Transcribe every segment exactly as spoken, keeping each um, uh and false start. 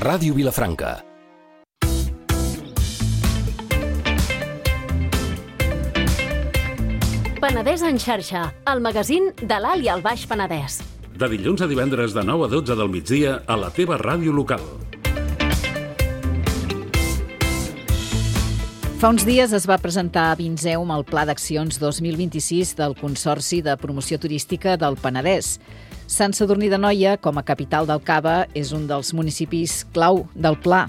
Ràdio Vilafranca. Penedès en xarxa, el magazín de l'Alt i el Baix Penedès. De dilluns a divendres de nou a dotze del migdia a la teva ràdio local. Fa uns dies es va presentar a Vinseum el Pla d'Accions dos mil vint-i-sis del Consorci de Promoció Turística del Penedès. Sant Sadurní d'Anoia, com a capital del Cava, és un dels municipis clau del pla.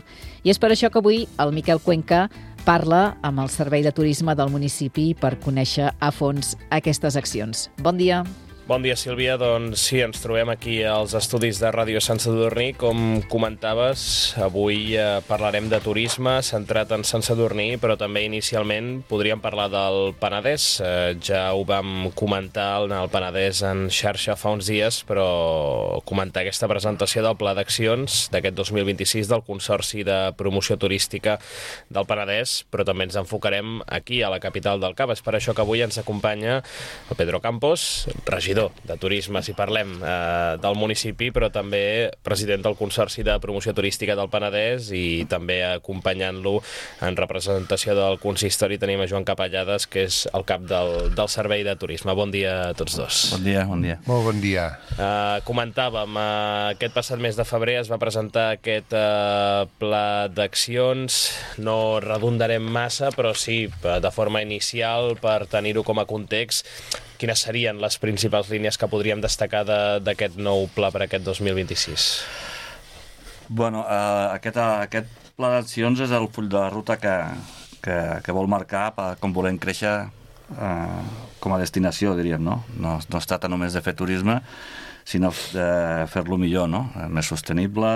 I és per això que avui el Miquel Cuenca parla amb el Servei de Turisme del municipi per conèixer a fons aquestes accions. Bon dia. Bon dia, Sílvia. Doncs sí, ens trobem aquí als estudis de Ràdio Sant Sadurní. Com comentaves, avui eh, parlarem de turisme centrat en Sant Sadurní, però també inicialment podríem parlar del Penedès. Eh, ja ho vam comentar en el Penedès en xarxa fa uns dies, però comentar aquesta presentació del Pla d'Accions d'aquest dos mil vint-i-sis del Consorci de Promoció Turística del Penedès, però també ens enfocarem aquí, a la capital del Cava. És per això que avui ens acompanya el Pedro Campos, regidor de Turisme, si parlem, eh, del municipi, però també president del Consorci de Promoció Turística del Penedès, i també acompanyant-lo en representació del consistori tenim a Joan Capellades, que és el cap del, del Servei de Turisme. Bon dia a tots dos. Bon dia, bon dia. Molt bon dia. Eh, comentàvem, eh, aquest passat mes de febrer es va presentar aquest eh, pla d'accions. No redundarem massa, però sí, de forma inicial, per tenir-ho com a context, quines serien les principals línies que podríem destacar d'aquest nou pla per aquest dos mil vint-i-sis? Bueno, eh, aquest, aquest pla d'accions és el full de ruta que, que, que vol marcar per com volem créixer eh, com a destinació, diríem, no? No, no es tracta només de fer turisme, sinó de fer-lo millor, no? Més sostenible,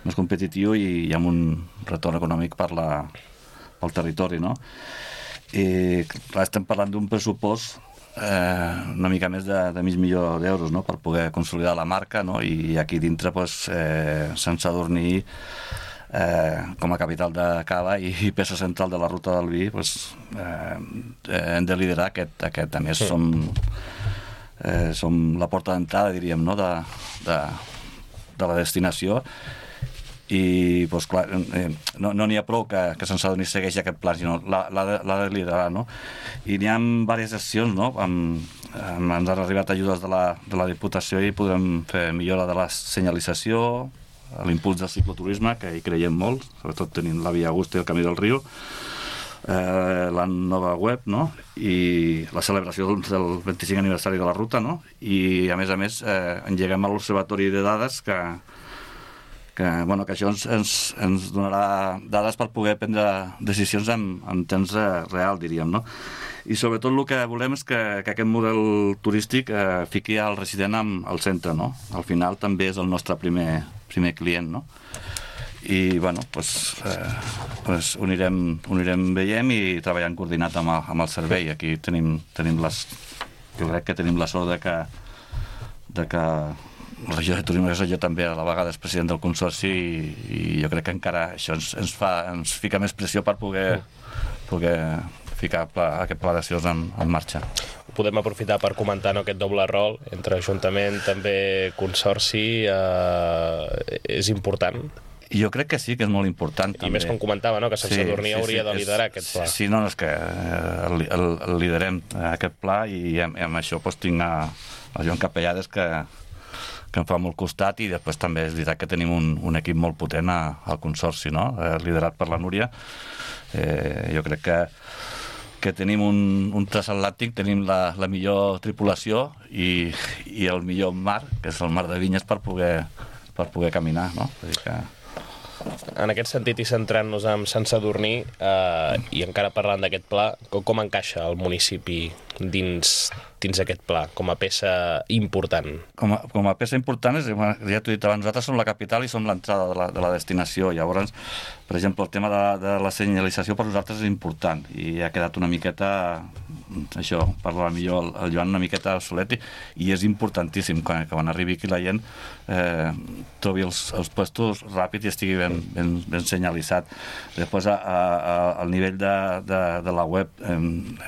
més competitiu i, i amb un retorn econòmic per la, pel territori, no? I clar, estem parlant d'un pressupost Eh, una mica més de, de mig milió d'euros, no? Per poder consolidar la marca, no? I aquí dintre pues, eh, Sant Sadurní eh, com a capital de Cava i, i peça central de la ruta del vi, pues, eh, hem de liderar aquest, aquest. A més sí. som, eh, som la porta d'entrada, diríem, no? de, de, de la destinació. I doncs clar, eh, no n'hi no ha prou que, que Sant Sadurní segueixi aquest pla, sinó l'ha de, de liderar, no? I n'hi ha diverses accions, no? Amb, amb, ens han arribat ajudes de la, de la Diputació i podrem fer millora de la senyalització, l'impuls del cicloturisme, que hi creiem molt, sobretot tenint la Via Augusta i el Camí del Riu, eh, la nova web, no? I la celebració del vint-i-cinc aniversari de la ruta, no? I a més a més eh, engeguem a l'Observatori de Dades que que, bueno, que això ens, ens, ens donarà dades per poder prendre decisions en, en temps real, diríem, no? I sobretot el que volem és que, que aquest model turístic eh, fiqui el resident amb, al centre, no? Al final també és el nostre primer, primer client, no? I, bueno, doncs, eh, doncs ho, anirem, ho anirem veient i treballant coordinat amb el, amb el servei. Aquí tenim, tenim les... Jo crec que tenim la sort de que, de que la regió de turisme, que jo també a la vegada és president del Consorci i, i jo crec que encara això ens, ens, fa, ens fica més pressió per poder, poder ficar pla, aquest pla d'accions en, en marxa. Podem aprofitar per comentar, no, aquest doble rol entre Ajuntament, també Consorci, eh, és important? Jo crec que sí, que és molt important. I també. Més com comentava, no, que Sant Sadurní sí, sí, hauria sí, de liderar és, aquest pla. Sí, no, és que el, el, el liderem aquest pla i amb, amb això doncs, tinc a, a Joan Capellades que que em fa molt costat, i després també és veritat que tenim un, un equip molt potent a, al Consorci, no? Eh, liderat per la Núria. Eh, jo crec que, que tenim un, un transatlàntic, tenim la, la millor tripulació i, i el millor mar, que és el mar de Vinyes, per poder, per poder caminar, no? Vull dir que... En aquest sentit, i centrant-nos en Sant Sadurní, eh, i encara parlant d'aquest pla, com, com encaixa el municipi dins, dins aquest pla, com a peça important? Com a, com a peça important, és, ja t'ho he dit abans, nosaltres som la capital i som l'entrada de, la, de la destinació. Llavors, per exemple, el tema de, de la senyalització per nosaltres és important i ha quedat una miqueta, això, parla millor el, el Joan, una miqueta obsolet, i, i és importantíssim que, que quan arribi aquí la gent eh, trobi els, els puestos ràpid i estigui ben, ben, ben senyalitzat. Després, a, a, al nivell de, de, de la web, eh,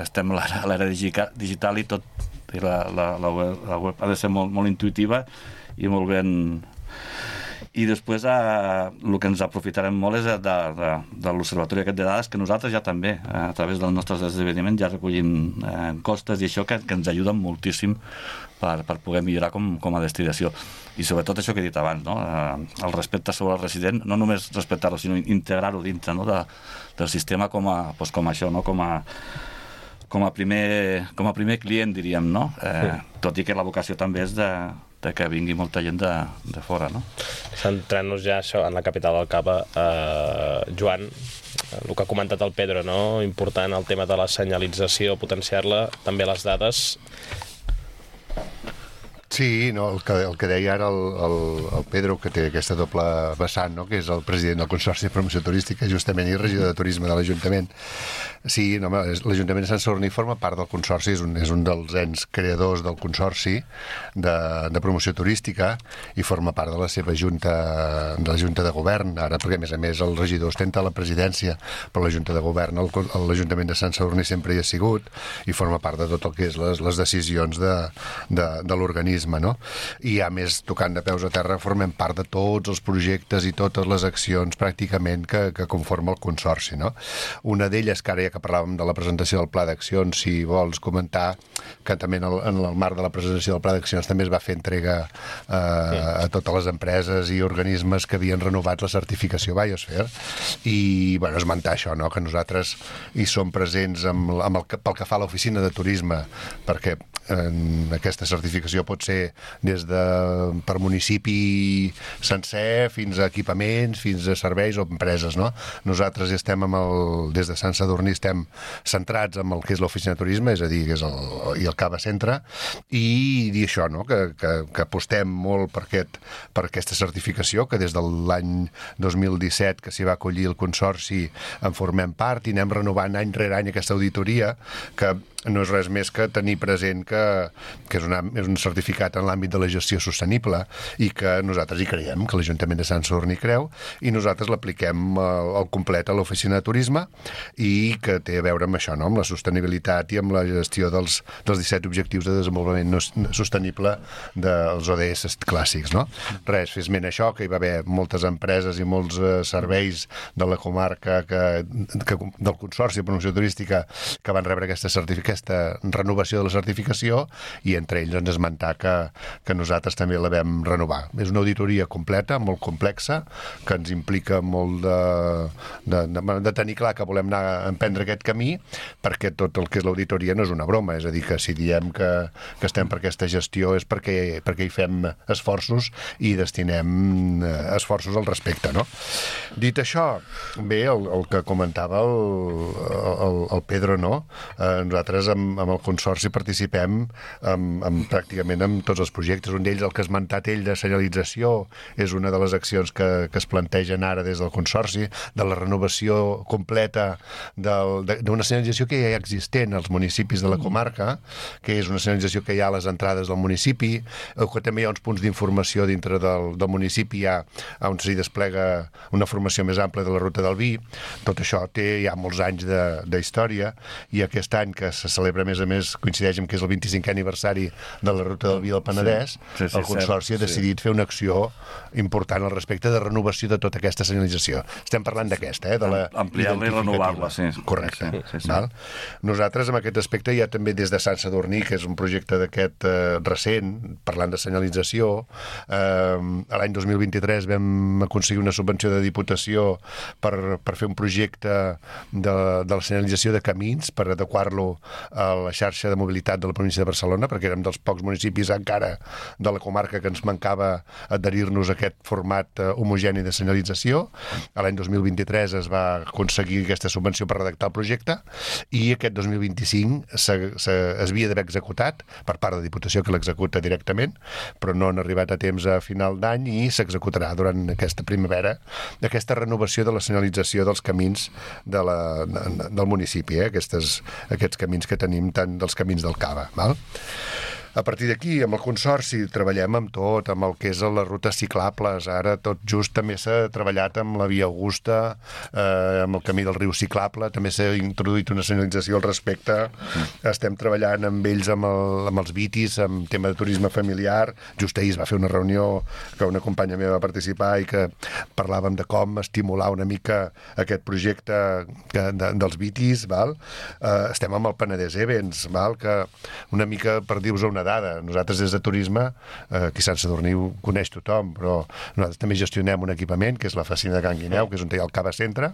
estem a l'era digital i tot, i la, la, la, web, la web ha de ser molt, molt intuïtiva i molt ben... I després eh, el que ens aprofitarem molt és de, de, de l'observatori aquest de dades, que nosaltres ja també, eh, a través dels nostres esdeveniments, ja recollim eh, costes i això que, que ens ajuden moltíssim per, per poder millorar com, com a destinació. I sobretot això que he dit abans, no? eh, el respecte sobre el resident, no només respectar-lo, sinó integrar-ho dintre, no? de, del sistema com a, doncs com això, no? com a com a primer, com a primer client, diríem, no? Eh, sí. Tot i que la vocació també és de, de que vingui molta gent de, de fora, no? Centrant-nos ja això en la capital del Cava, eh, Joan, el que ha comentat el Pedro, no? Important el tema de la senyalització, potenciar-la, també les dades. Sí, no, el, que, el que deia ara el, el, el Pedro, que té aquesta doble vessant, no? Que és el president del Consorci de Promoció Turística, justament, i regidor de Turisme de l'Ajuntament. Sí, no, l'Ajuntament de Sant Sadurní forma part del Consorci, és un, és un dels ens creadors del Consorci de, de Promoció Turística i forma part de la seva junta, de la Junta de Govern, ara, perquè a més a més el regidor ostenta la presidència per la Junta de Govern, l'Ajuntament de Sant Sadurní sempre hi ha sigut i forma part de tot el que és les, les decisions de, de, de l'organisme, no? I a més, tocant de peus a terra, formem part de tots els projectes i totes les accions pràcticament que, que conforma el Consorci, no? Una d'elles, que ara ja que parlàvem de la presentació del Pla d'Accions, si vols comentar que també en el, en el marc de la presentació del Pla d'Accions també es va fer entrega eh, a totes les empreses i organismes que havien renovat la certificació Biosphere i, bueno, esmentar això, no? Que nosaltres hi som presents amb, amb el, pel que fa a l'oficina de turisme, perquè en aquesta certificació pot ser des de per municipi sencer fins a equipaments, fins a serveis o empreses, no? Nosaltres estem amb el, des de Sant Sadurní estem centrats en el que és l'oficina de turisme, és a dir, que és el, i el Cava Centre, i dir això, no? Que, que, que apostem molt per, aquest, per aquesta certificació, que des de l'any dos mil disset que s'hi va acollir el Consorci en formem part i anem renovant any rere any aquesta auditoria, que no és res més que tenir present que, que és, una, és un certificat en l'àmbit de la gestió sostenible i que nosaltres hi creiem, que l'Ajuntament de Sant Sadurní creu, i nosaltres l'apliquem al, al complet a l'oficina de turisme i que té a veure amb això, no? Amb la sostenibilitat i amb la gestió dels, dels disset objectius de desenvolupament no, sostenible dels O D S clàssics, no? Res, fes ment això, que hi va haver moltes empreses i molts eh, serveis de la comarca que, que, del Consorci de Promoció Turística que van rebre aquesta certificació, aquesta renovació de la certificació, i entre ells ens esmentar que, que nosaltres també la vam renovar. És una auditoria completa, molt complexa, que ens implica molt de, de, de, de tenir clar que volem anar a emprendre aquest camí, perquè tot el que és l'auditoria no és una broma, és a dir, que si diem que, que estem per aquesta gestió és perquè, perquè hi fem esforços i destinem esforços al respecte, no? Dit això, bé, el, el que comentava el, el, el Pedro, no? Eh, nosaltres amb, amb el Consorci participem amb, amb, pràcticament amb tots els projectes. Un d'ells, el que ha esmentat ell de senyalització, és una de les accions que, que es plantegen ara des del Consorci, de la renovació completa d'una senyalització que ja hi ha existent als municipis de la comarca, que és una senyalització que hi ha a les entrades del municipi, que també hi ha uns punts d'informació dintre del, del municipi ja, on s'hi desplega una formació més àmplia de la ruta del vi. Tot això té ja molts anys d'història, i aquest any que se celebra, a més a més, coincideix amb que és el vint-i-cinquè aniversari de la ruta del vi del Penedès, sí, sí, sí, el Consorci ha decidit sí. fer una acció important al respecte de renovació de tota aquesta senyalització. Estem parlant d'aquesta, eh? De la ampliar-la i renovar-la, sí. Correcte. Sí, sí, sí. Val? Nosaltres, en aquest aspecte, ja també des de Sant Sadurní, que és un projecte d'aquest eh, recent, parlant de senyalització, eh, l'any dos mil vint-i-tres vam aconseguir una subvenció de Diputació per, per fer un projecte de, de la senyalització de camins, per adequar-lo a la xarxa de mobilitat de la província de Barcelona, perquè érem dels pocs municipis encara de la comarca que ens mancava adherir-nos a aquest format uh, homogeni de senyalització. A l'any dos mil vint-i-tres es va aconseguir aquesta subvenció per redactar el projecte, i aquest dos mil vint-i-cinc s'havia d'haver executat per part de Diputació, que l'executa directament, però no han arribat a temps a final d'any, i s'executarà durant aquesta primavera aquesta renovació de la senyalització dels camins de la, de, del municipi, eh? Aquestes, aquests camins que tenim, tant dels camins del Cava. Val? A partir d'aquí, amb el Consorci, treballem amb tot, amb el que és les rutes ciclables. Ara tot just també s'ha treballat amb la Via Augusta, eh, amb el camí del riu ciclable, també s'ha introduït una senyalització al respecte. Mm. Estem treballant amb ells, amb, el, amb els vitis, amb tema de turisme familiar. Just ahir es va fer una reunió que una companya meva va participar i que parlàvem de com estimular una mica aquest projecte que, de, dels vitis, val? Eh, estem amb el Penedès Events, val? Que una mica, per dir-vos una dada, nosaltres des de turisme, eh, aquí a Sant Sadurní ho coneix tothom, però nosaltres també gestionem un equipament, que és la Facina de Can Guineu, que és on hi ha el Cava Centre,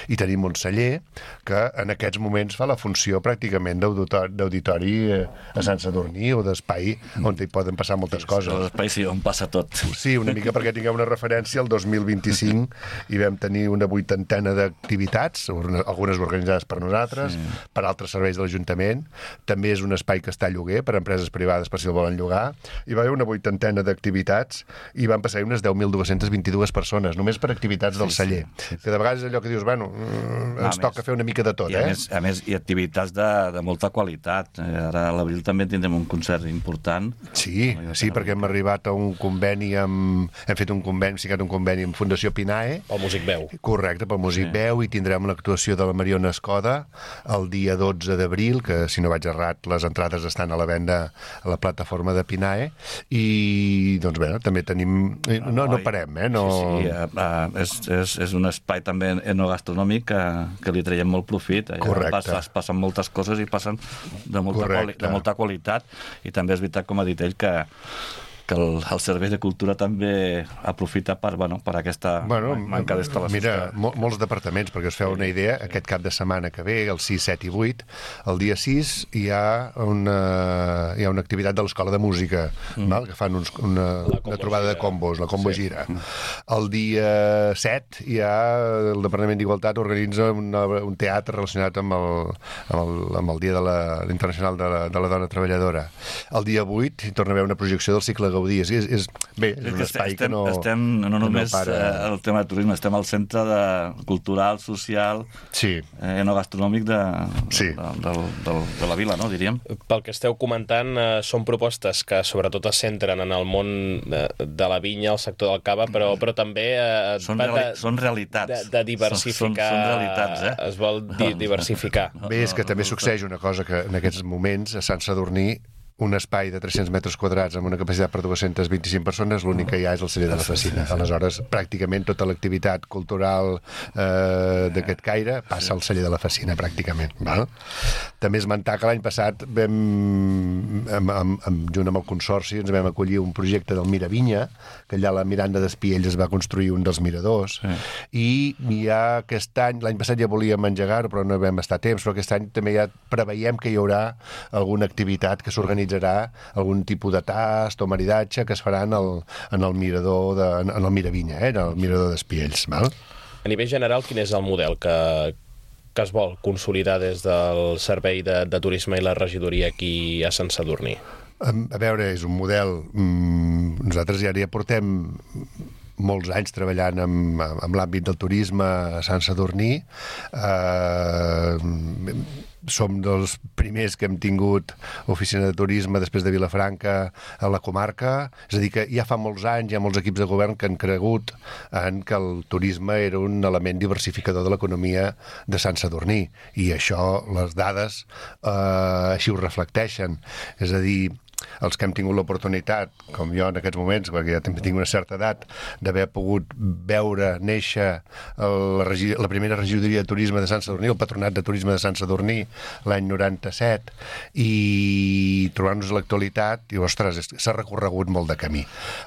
i tenim un celler que en aquests moments fa la funció pràcticament d'auditori a Sant Sadurní o d'espai on hi poden passar moltes sí, coses. L'espai sí, on passa tot. Sí, una mica perquè tingueu una referència, el dos mil vint-i-cinc hi vam tenir una vuitantena d'activitats, algunes organitzades per nosaltres, sí. per altres serveis de l'Ajuntament. També és un espai que està a lloguer per empreses privades per si el volen llogar. Hi va haver una vuitantena d'activitats i van passar unes deu mil dos-cents vint-i-dues persones, només per activitats del sí, celler. Sí, sí. Que de vegades és allò que dius, bueno, ens a toca més, fer una mica de tot, i a eh? Més, a més, i activitats de, de molta qualitat. Ara a l'abril també tindrem un concert important. Sí, sí, perquè hem arribat a un conveni amb... Hem fet un conveni, hem signat un conveni amb Fundació Pinae. Pel Músic Veu. Correcte, pel Músic sí. Veu, i tindrem l'actuació de la Mariona Escoda el dia dotze d'abril, que si no vaig errat, les entrades estan a la venda a la plataforma de Pinae, i doncs bé, també tenim... No, no parem, eh? No... Sí, sí, uh, és, és, és un espai també enogastronòmic que, que li traiem molt profit. Allà correcte. Pas, passen moltes coses i passen de molta, quali, de molta qualitat, i també és veritat, com ha dit ell, que que el, el Servei de Cultura també aprofita per, bueno, per aquesta bueno, manca d'instal·lacions. Mira, mol, molts departaments, perquè us feu una idea, aquest cap de setmana que ve, el sis, set i vuit, el dia sis hi ha una, hi ha una activitat de l'Escola de Música, mm. val? Que fan uns, una, una trobada gira. de combos, la Combo sí. Gira. El dia set hi ha el Departament d'Igualtat organitza una, un teatre relacionat amb el, amb el, amb el Dia de la, Internacional de la, de la Dona Treballadora. El dia vuit hi torna a haver una projecció del cicle Gaudí. És, és, bé, és un espai estem, que no... Estem, no només no para... el tema de turisme, estem al centre de, cultural, social, sí. eh, enogastronòmic de, sí. de, de, de, de la vila, no, diríem. Pel que esteu comentant, eh, són propostes que sobretot es centren en el món de, de la vinya, el sector del cava, però, però també... Eh, són, reali de, són realitats. De, de diversificar... Són, són realitats, eh? Es vol di diversificar. Bé, és que també succeeix una cosa que en aquests moments a Sant Sadurní un espai de tres-cents metres quadrats amb una capacitat per dues-centes vint-i-cinc persones, l'únic que hi ha és el celler de la Facina. Aleshores, pràcticament tota l'activitat cultural eh, d'aquest caire passa al celler de la Facina, pràcticament. Val? També esmentar que l'any passat vam, amb, amb, amb, junt amb el Consorci, ens vam acollir un projecte del Miravinya, que allà a la Miranda d'Espiells es va construir un dels miradors, sí. i ja aquest any, l'any passat ja volíem engegar-ho, però no vam estar a temps, però aquest any també ja preveiem que hi haurà alguna activitat que s'organitza algun tipus de tast o maridatge que es farà en el, en el mirador de, en el Miravinya, eh, en el mirador d'Espiells. Val? A nivell general, quin és el model que, que es vol consolidar des del Servei de, de Turisme i la regidoria aquí a Sant Sadurní? A, a veure, és un model... Mm, nosaltres ja ja portem molts anys treballant amb, amb l'àmbit del turisme a Sant Sadurní. Eh, som dels primers que hem tingut oficina de turisme després de Vilafranca a la comarca, és a dir que ja fa molts anys hi ha molts equips de govern que han cregut en que el turisme era un element diversificador de l'economia de Sant Sadurní, i això les dades eh, així ho reflecteixen, és a dir, els que hem tingut l'oportunitat, com jo en aquests moments, perquè ja també tinc una certa edat, d'haver pogut veure néixer la, la primera regidoria de turisme de Sant Sadurní, el Patronat de Turisme de Sant Sadurní, l'any noranta-set, i trobar-nos a l'actualitat, i ostres, s'ha recorregut molt de camí.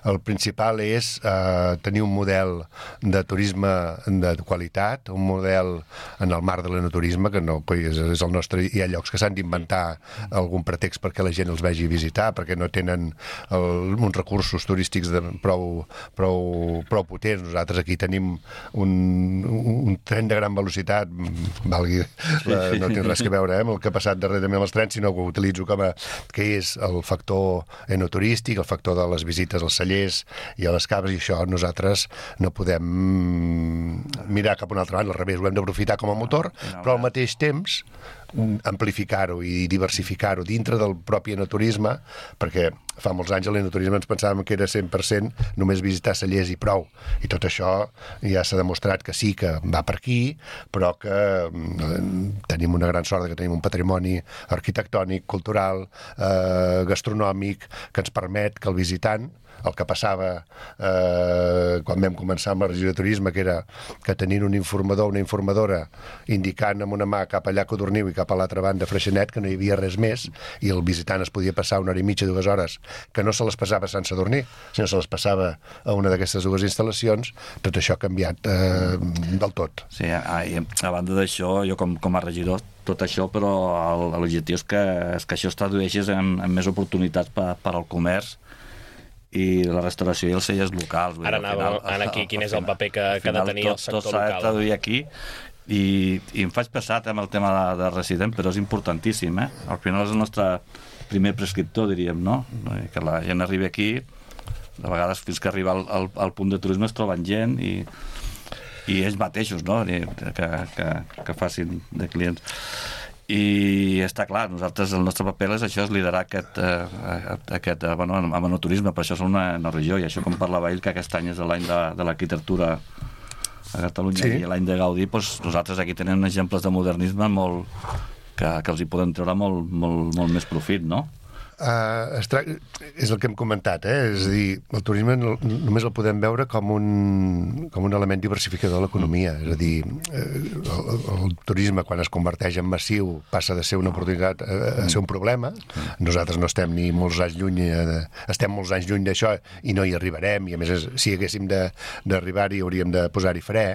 El principal és eh, tenir un model de turisme de qualitat, un model en el marc de l'enoturisme, que no és, és el nostre... Hi ha llocs que s'han d'inventar algun pretext perquè la gent els vegi visitar, perquè no tenen el, uns recursos turístics de, prou, prou, prou potents. Nosaltres aquí tenim un, un tren de gran velocitat, valgui, la, no té res que veure eh, amb el que ha passat darrerament amb els trens, sinó que ho utilitzo com a, que és el factor enoturístic, el factor de les visites als cellers i a les caves, i això nosaltres no podem mirar cap a una altra banda, al revés, ho hem d'aprofitar com a motor, però al mateix temps amplificar-ho i diversificar-ho dintre del propi enoturisme, perquè fa molts anys a l'enoturisme ens pensàvem que era cent per cent només visitar cellers i prou, i tot això ja s'ha demostrat que sí que va per aquí, però que tenim una gran sort que tenim un patrimoni arquitectònic, cultural, eh, gastronòmic, que ens permet que el visitant, el que passava eh, quan vam començar amb la regió de turisme, que era que tenint un informador o una informadora indicant amb una mà cap allà a Codorniu i cap a l'altra banda a Freixenet, que no hi havia res més, i el visitant es podia passar una hora i mitja, dues hores, que no se les passava a Sant Sadurní, sinó se les passava a una d'aquestes dues instal·lacions. Tot això ha canviat eh, del tot. Sí, a, a banda d'això, jo com, com a regidor, tot això, però l'objectiu és que, és que això es tradueixi en, en més oportunitats per, per al comerç i la restauració i els cellers locals. Ara anàvem aquí, quin és el paper que, que ha de tenir el sector tot, tot local. Tot s'ha de traduir aquí i, i em faig passat amb el tema de, de resident, però és importantíssim, eh? Al final és el nostre primer prescriptor, diríem, no? Que la gent arribi aquí, de vegades fins que arriba al, al, al punt de turisme es troben gent i, i ells mateixos, no? Que, que, que facin de clients. I està clar, nosaltres el nostre paper és això, és liderar aquest, eh, aquest eh, bueno, amb enoturisme, per això som una, una regió, i això com parlava ell, que aquest any és l'any de, de l'arquitectura a Catalunya, sí. I l'any de Gaudí, doncs nosaltres aquí tenim exemples de modernisme molt, que, que els hi podem treure molt, molt, molt més profit, no? Uh, tra... és el que hem comentat, eh? És a dir, el turisme no, només el podem veure com un, com un element diversificador de l'economia. És a dir, el, el turisme, quan es converteix en massiu, passa de ser una oportunitat a, a ser un problema. Nosaltres no estem ni molts anys lluny, de, estem molts anys lluny d'això i no hi arribarem, i a més, si haguéssim d'arribar-hi hauríem de posar-hi fre,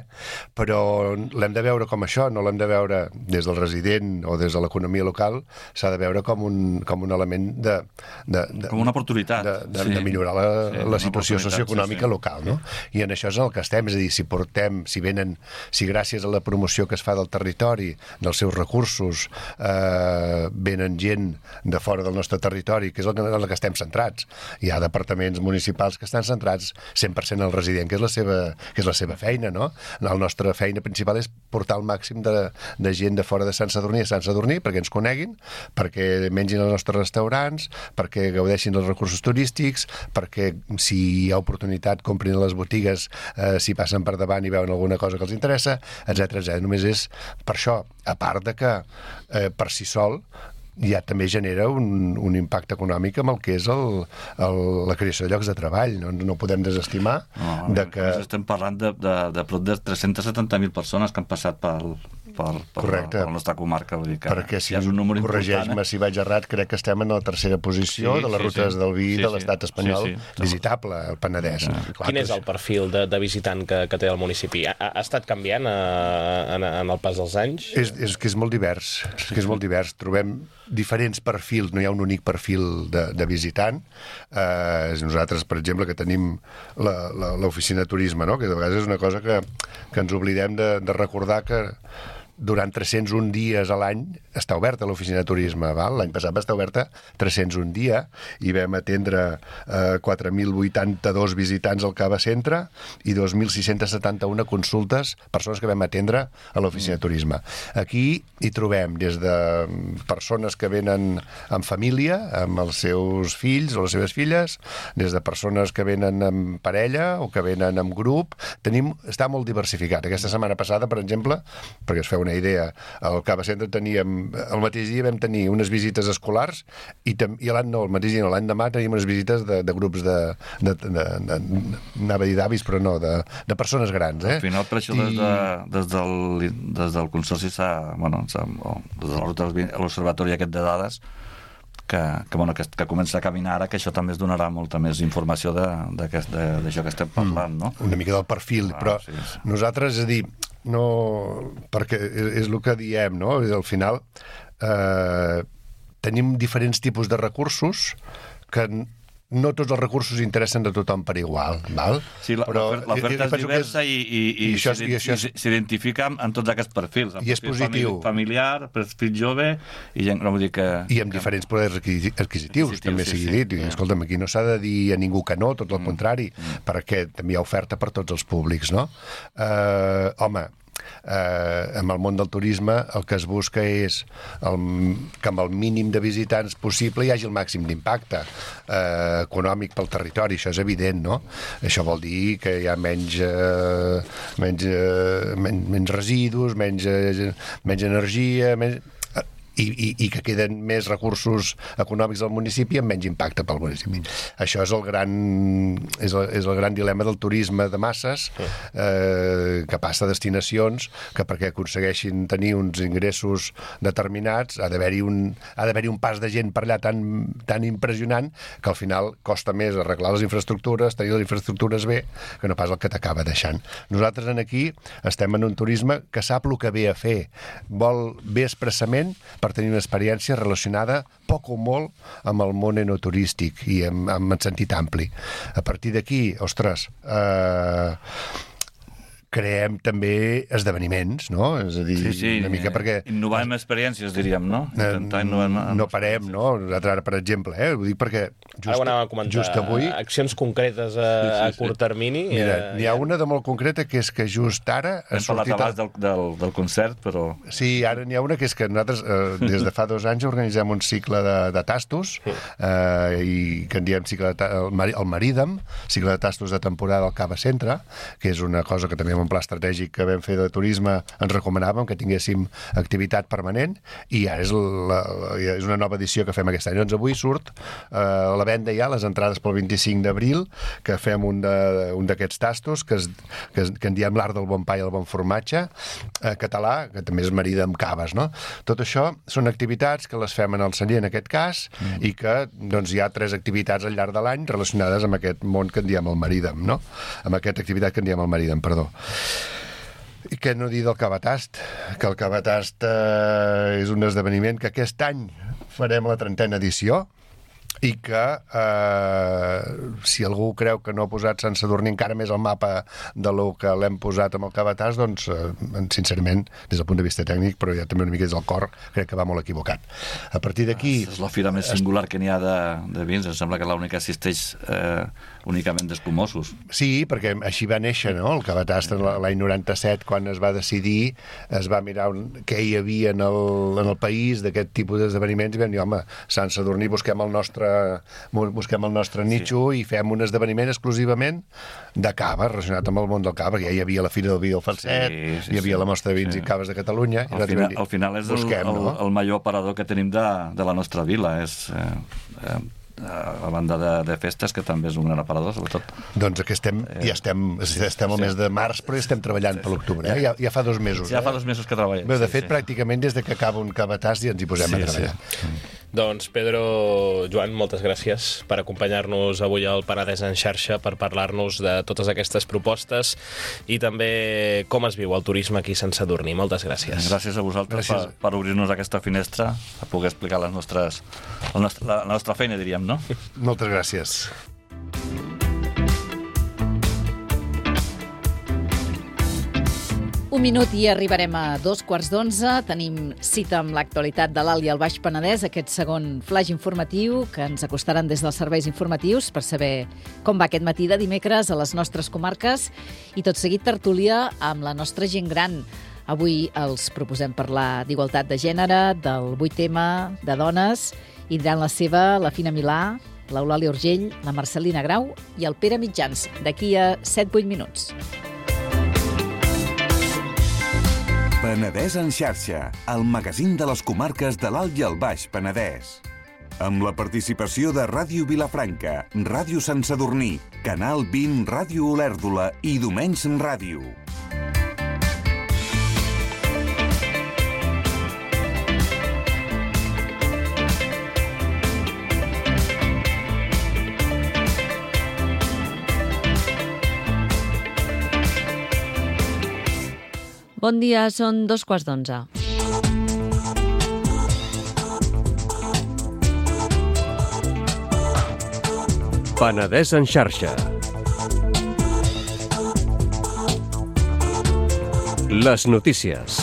però l'hem de veure com això, no l'hem de veure des del resident o des de l'economia local, s'ha de veure com un, com un element de De, de, com una oportunitat de, de, sí. de millorar la, sí, la situació socioeconòmica sí, sí. local, no? I en això és el que estem, és a dir, si portem, si venen, si gràcies a la promoció que es fa del territori, dels seus recursos, eh, venen gent de fora del nostre territori, que és el que, en el que estem centrats. Hi ha departaments municipals que estan centrats cent per cent al resident, que és la seva, que és la seva feina, no? La nostra feina principal és portar el màxim de, de gent de fora de Sant Sadurní a Sant Sadurní, perquè ens coneguin, perquè mengin als nostres restaurants, perquè gaudeixin dels recursos turístics, perquè si hi ha oportunitat comprin a les botigues, eh, si passen per davant i veuen alguna cosa que els interessa, etcètera etcètera. Només és per això, a part de que eh, per si sol ja també genera un, un impacte econòmic amb el que és el, el, la creació de llocs de treball. No, no podem desestimar no, de que... Estem parlant de, de, de prop de tres-cents setanta mil persones que han passat pel, per, per, per la nostra comarca. Vull dir que perquè si ja és un número corregeix-me important, eh? Si vaig errat, crec que estem en la tercera posició sí, de les sí, rutes sí. del vi sí, de l'estat espanyol sí, sí. visitable, el Penedès. Sí. Clar, Quin és el perfil de, de visitant que, que té el municipi? Ha, ha estat canviant a, en, en el pas dels anys? És, és que és molt divers, és que és molt divers. Trobem diferents perfils, no hi ha un únic perfil de, de visitant. Eh, nosaltres, per exemple, que tenim l'oficina de turisme, no? Que de vegades és una cosa que, que ens oblidem de, de recordar que durant tres-cents un dies a l'any està oberta l'oficina de turisme. L'any passat va estar oberta tres-cents un dia i vam atendre eh, quatre mil vuitanta-dos visitants al Cava Centre i dos mil sis-cents setanta-u consultes, persones que vam atendre a l'oficina de turisme. Aquí hi trobem des de persones que venen amb família, amb els seus fills o les seves filles, des de persones que venen amb parella o que venen amb grup. Tenim, està molt diversificat. Aquesta setmana passada, per exemple, perquè es feu una idea, al Cava Centre teníem, el mateix dia vam tenir unes visites escolars i, tam, i l'any no, el mateix dia no, l'any demà teníem unes visites de, de grups de, de, de, de, de anava a dir d'avis, però no, de, de persones grans. Eh? Al final, per això, I... des, de, des, del, des del Consorci s'ha, bueno, s'ha, o, des de la ruta de l'Observatori aquest de dades, que, que, bueno, que, que comença a caminar ara, que això també es donarà molta més informació d'això que estem parlant, no? Una mica del perfil, ah, però sí, sí. Nosaltres, és a dir, no, perquè és, és el que diem, no? Al final eh, tenim diferents tipus de recursos que no tots els recursos interessen de tothom per igual, val? Sí, l'oferta és diversa és, i, i, i, i, això, i això s'identifica en tots aquests perfils. I és positiu. Familiar, perfil jove, i gent, no vull dir que... I amb diferents poders adquisitius, adquisitius també sí, sigui dit. Sí, I, escolta'm, aquí no s'ha de dir a ningú que no, tot el mm. contrari, mm. perquè també hi ha oferta per tots els públics, no? Uh, home, eh, amb el món del turisme el que es busca és el, que amb el mínim de visitants possible hi hagi el màxim d'impacte eh, econòmic pel territori, això és evident, no? Això vol dir que hi ha menys, eh, menys, eh, menys, menys residus, menys, eh, menys energia, menys... I, i, i que queden més recursos econòmics al municipi amb menys impacte pel municipi. Això és el gran, és el, és el gran dilema del turisme de masses, eh, que passa a destinacions que perquè aconsegueixin tenir uns ingressos determinats ha d'haver-hi un, ha d'haver-hi un pas de gent per allà tan, tan impressionant que al final costa més arreglar les infraestructures, tenir les infraestructures bé, que no pas el que t'acaba deixant. Nosaltres en aquí estem en un turisme que sap el que ve a fer, vol bé expressament per tenir una experiència relacionada poc o molt amb el món enoturístic i en, en sentit ampli. A partir d'aquí, ostres, eh, creem també esdeveniments, no? És a dir, sí, sí, una mica perquè... Innovar amb experiències, diríem, no? Intentar innovar amb... No parem, no? Nosaltres ara, per exemple, eh? Ho dic perquè just, ara ho anàvem a comentar, just avui... accions concretes a, sí, sí, sí. a curt termini. Mira, eh, n'hi ha una de molt concreta que és que just ara... Hem parlat abans del, del, del concert, però... Sí, ara n'hi ha una que és que nosaltres eh, des de fa dos anys organitzem un cicle de, de tastos eh, i que en diem cicle de, el, Mar, el Marídem, cicle de tastos de temporada al Cava Centre, que és una cosa que també un pla estratègic que vam fer de turisme ens recomanàvem que tinguéssim activitat permanent i ara és, la, la, és una nova edició que fem aquest any. Doncs avui surt eh, a la venda ja les entrades pel vint-i-cinc d'abril, que fem un d'aquests tastos que, es, que, es, que en diem l'art del bon pa i el bon formatge eh, català, que també és marida amb caves, no? Tot això són activitats que les fem en el celler en aquest cas mm. i que doncs, hi ha tres activitats al llarg de l'any relacionades amb aquest món que en diem el Marídem, no? Amb aquesta activitat que en diem el Marídem, perdó. I què no dir del Cavatast? Que el Cavatast eh, és un esdeveniment que aquest any farem la trentena edició i que eh, si algú creu que no ha posat Sant Sadurní encara més al mapa de lo que l'hem posat amb el Cavatàs, doncs eh, sincerament, des del punt de vista tècnic, però ja també una mica des del cor, crec que va molt equivocat. A partir d'aquí... És la fira més singular que n'hi ha de, de vins, em sembla que l'única assisteix eh, únicament d'espumosos. Sí, perquè així va néixer, no? El Cavatàs l'any noranta-set, quan es va decidir, es va mirar un, què hi havia en el, en el país d'aquest tipus d'esdeveniments i vam dir, home, Sant Sadurní, busquem el nostre busquem el nostre nitxo sí. i fem un esdeveniment exclusivament de cava, relacionat amb el món del cava, que ja hi havia la Fira del Vi del Falset, sí, sí, hi havia sí. la Mostra de Vins sí. i Caves de Catalunya. Al, final, dir, al final és busquem, el, el, no? el major aparador que tenim de, de la nostra vila, és... Eh, eh, a banda de, de festes, que també és un gran aparador, sobretot. Doncs que estem, eh, ja estem, estem al sí. mes de març, però ja estem treballant sí, sí. per l'octubre. Eh? Ja, ja fa dos mesos. Ja eh? fa dos mesos que treballem. Bé, de sí, fet, sí. pràcticament des de que acaba un Cavatàs ja ens hi posem sí, a treballar. Sí. Doncs, Pedro, Joan, moltes gràcies per acompanyar-nos avui al Penedès en xarxa, per parlar-nos de totes aquestes propostes i també com es viu el turisme aquí a Sant Sadurní. Moltes gràcies. Gràcies a vosaltres gràcies. Per, per obrir-nos aquesta finestra, per poder explicar les nostres, la, nostra, la, la nostra feina, diríem, no? Moltes gràcies. Un minut i arribarem a dos quarts d'onze. Tenim cita amb l'actualitat de l'Alt i el Baix Penedès, aquest segon flaix informatiu que ens acostaran des dels serveis informatius per saber com va aquest matí de dimecres a les nostres comarques i tot seguit tertúlia amb la nostra gent gran. Avui els proposem parlar d'igualtat de gènere, del vuit tema de dones i diran la seva la Fina Milà, l'Eulàlia Urgell, la Marcelina Grau i el Pere Mitjans, d'aquí a set vuit minuts. Penedès en xarxa, el magazín de les comarques de l'Alt i el Baix Penedès. Amb la participació de Ràdio Vilafranca, Ràdio Sant Sadurní, Canal vint, Ràdio Olèrdola i Domenys Ràdio. Bon dia, són dos quarts d'onze. Penedès en xarxa. Les notícies.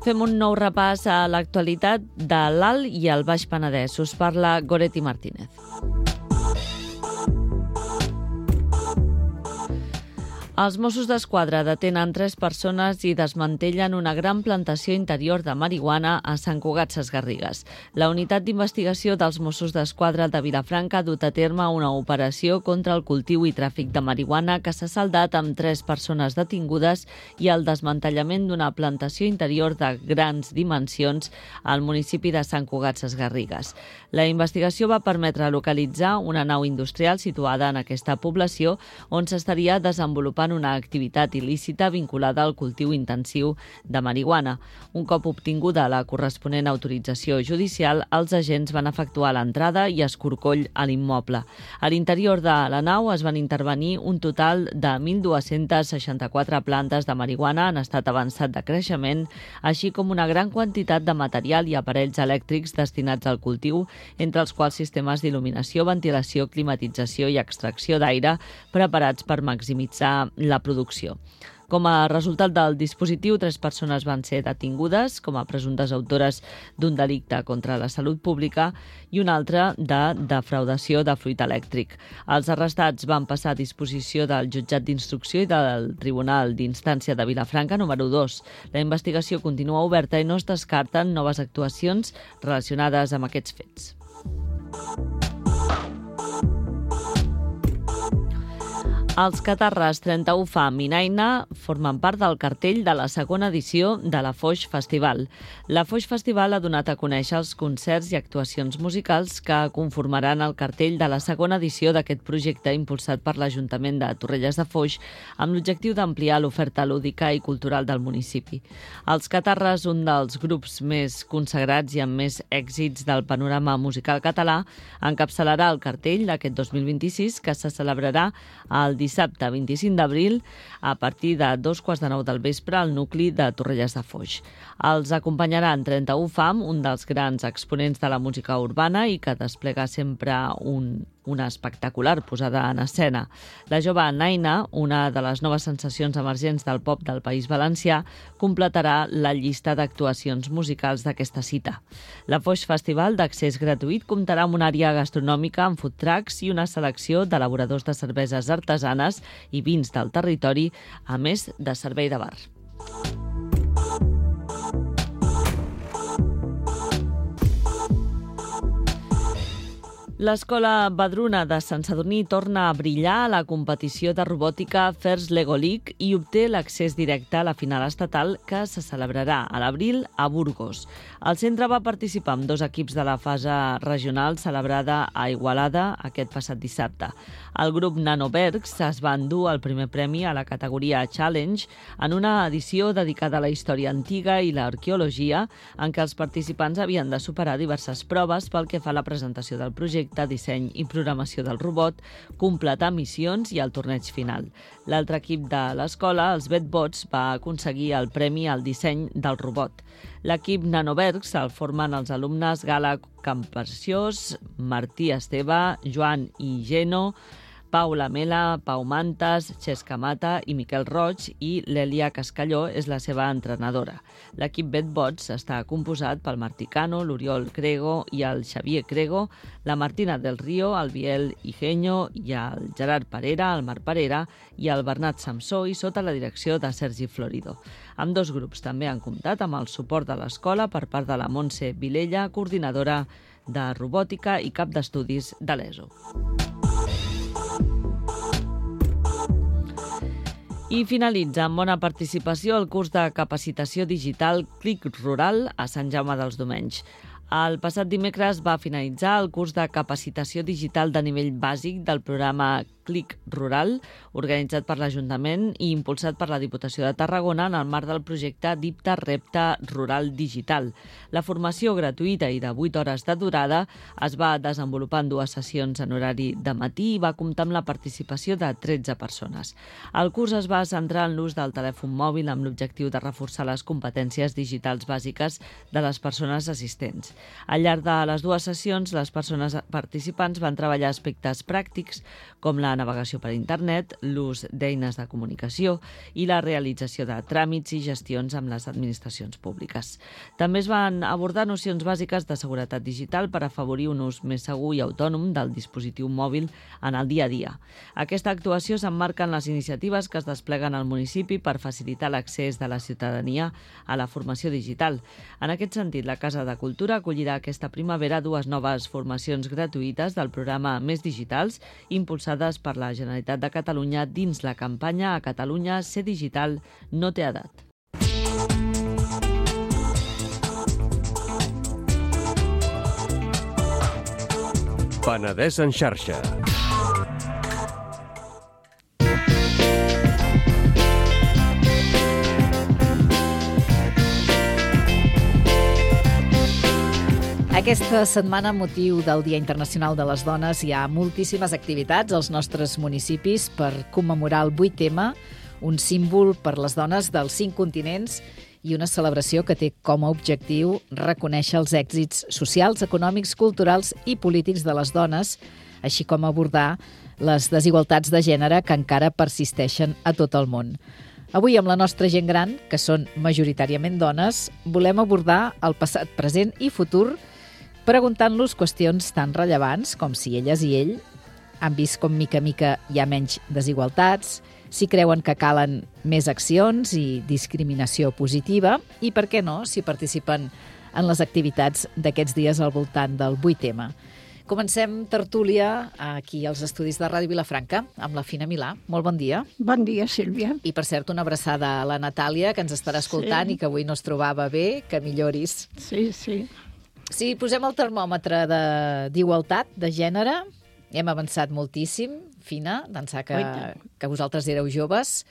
Fem un nou repàs a l'actualitat de l'Alt i el Baix Penedès. Us parla Goretti Martínez. Els Mossos d'Esquadra detenen tres persones i desmantellen una gran plantació interior de marihuana a Sant Cugat Sesgarrigues. La unitat d'investigació dels Mossos d'Esquadra de Vilafranca ha dut a terme una operació contra el cultiu i tràfic de marihuana que s'ha saldat amb tres persones detingudes i el desmantellament d'una plantació interior de grans dimensions al municipi de Sant Cugat Sesgarrigues. La investigació va permetre localitzar una nau industrial situada en aquesta població on s'estaria desenvolupant una activitat il·lícita vinculada al cultiu intensiu de marihuana. Un cop obtinguda la corresponent autorització judicial, els agents van efectuar l'entrada i escorcoll a l'immoble. A l'interior de la nau es van intervenir un total de mil dos-cents seixanta-quatre plantes de marihuana en estat avançat de creixement, així com una gran quantitat de material i aparells elèctrics destinats al cultiu, entre els quals sistemes d'il·luminació, ventilació, climatització i extracció d'aire preparats per maximitzar la producció. Com a resultat del dispositiu, tres persones van ser detingudes com a presumptes autores d'un delicte contra la salut pública i una altra de defraudació de fluid elèctric. Els arrestats van passar a disposició del jutjat d'instrucció i del Tribunal d'Instància de Vilafranca número dos. La investigació continua oberta i no es descarten noves actuacions relacionades amb aquests fets. Els Catarres trenta-u Fam i Naina formen part del cartell de la segona edició de la Foix Festival. La Foix Festival ha donat a conèixer els concerts i actuacions musicals que conformaran el cartell de la segona edició d'aquest projecte impulsat per l'Ajuntament de Torrelles de Foix amb l'objectiu d'ampliar l'oferta lúdica i cultural del municipi. Els Catarres, un dels grups més consagrats i amb més èxits del panorama musical català, encapçalarà el cartell d'aquest dos mil vint-i-sis que se celebrarà el dissabte vint-i-cinc d'abril a partir de dos quarts de nou del vespre al nucli de Torrelles de Foix. Els acompanyaran trenta-u Fam, un dels grans exponents de la música urbana i que desplega sempre un, una espectacular posada en escena. La jove Naina, una de les noves sensacions emergents del pop del País Valencià, completarà la llista d'actuacions musicals d'aquesta cita. La Foix Festival, d'accés gratuït, comptarà amb una àrea gastronòmica amb food trucks i una selecció d'elaboradors de cerveses artesanes i vins del territori, a més de servei de bar. L'Escola Badruna de Sant Sadurní torna a brillar a la competició de robòtica First Lego League i obté l'accés directe a la final estatal que se celebrarà a l'abril a Burgos. El centre va participar amb dos equips de la fase regional celebrada a Igualada aquest passat dissabte. El grup Nanobergs es va endur el primer premi a la categoria Challenge en una edició dedicada a la història antiga i l'arqueologia en què els participants havien de superar diverses proves pel que fa a la presentació del projecte, disseny i programació del robot, completar missions i el torneig final. L'altre equip de l'escola, els Betbots, va aconseguir el premi al disseny del robot. L'equip Nanobergs el formen els alumnes Gala Camperciós, Martí Esteve, Joan i Geno, Paula Mela, Pau Mantas, Xesca Mata i Miquel Roig, i l'Elia Cascalló és la seva entrenadora. L'equip Betbots està composat pel Martí Cano, l'Oriol Crego i el Xavier Crego, la Martina del Río, el Biel Igeño i el Gerard Parera, el Marc Parera i el Bernat Samsó, i sota la direcció de Sergi Florido. Ambdós grups també han comptat amb el suport de l'escola per part de la Montse Vilella, coordinadora de robòtica i cap d'estudis de l'E S O. I finalitza amb bona participació el curs de capacitació digital Clic Rural a Sant Jaume dels Domenys. El passat dimecres va finalitzar el curs de capacitació digital de nivell bàsic del programa Clic Rural, organitzat per l'Ajuntament i impulsat per la Diputació de Tarragona en el marc del projecte Dipta Repte Rural Digital. La formació gratuïta i de vuit hores de durada es va desenvolupar en dues sessions en horari de matí i va comptar amb la participació de tretze persones. El curs es va centrar en l'ús del telèfon mòbil amb l'objectiu de reforçar les competències digitals bàsiques de les persones assistents. Al llarg de les dues sessions, les persones participants van treballar aspectes pràctics com la navegació per internet, l'ús d'eines de comunicació i la realització de tràmits i gestions amb les administracions públiques. També es van abordar nocions bàsiques de seguretat digital per afavorir un ús més segur i autònom del dispositiu mòbil en el dia a dia. Aquesta actuació s'emmarca en les iniciatives que es despleguen al municipi per facilitar l'accés de la ciutadania a la formació digital. En aquest sentit, la Casa de Cultura acollirà aquesta primavera dues noves formacions gratuïtes del programa Més Digitals, impulsades per la Generalitat de Catalunya dins la campanya A Catalunya ser digital no té edat. Penedès en xarxa. Aquesta setmana, amb motiu del Dia Internacional de les Dones, hi ha moltíssimes activitats als nostres municipis per commemorar el vuit ema, un símbol per les dones dels cinc continents i una celebració que té com a objectiu reconèixer els èxits socials, econòmics, culturals i polítics de les dones, així com abordar les desigualtats de gènere que encara persisteixen a tot el món. Avui, amb la nostra gent gran, que són majoritàriament dones, volem abordar el passat, present i futur preguntant-los qüestions tan rellevants com si elles i ell han vist com mica a mica hi ha menys desigualtats, si creuen que calen més accions i discriminació positiva i, per què no, si participen en les activitats d'aquests dies al voltant del vuit ema. Comencem tertúlia aquí als estudis de Ràdio Vilafranca amb la Fina Milà. Molt bon dia. Bon dia, Sílvia. I, per cert, una abraçada a la Natàlia, que ens estarà escoltant sí. I que avui no es trobava bé, que milloris. Sí, sí. Si posem el termòmetre d'igualtat de, de gènere, hem avançat moltíssim, Fina, d'ençà que, que vosaltres éreu joves,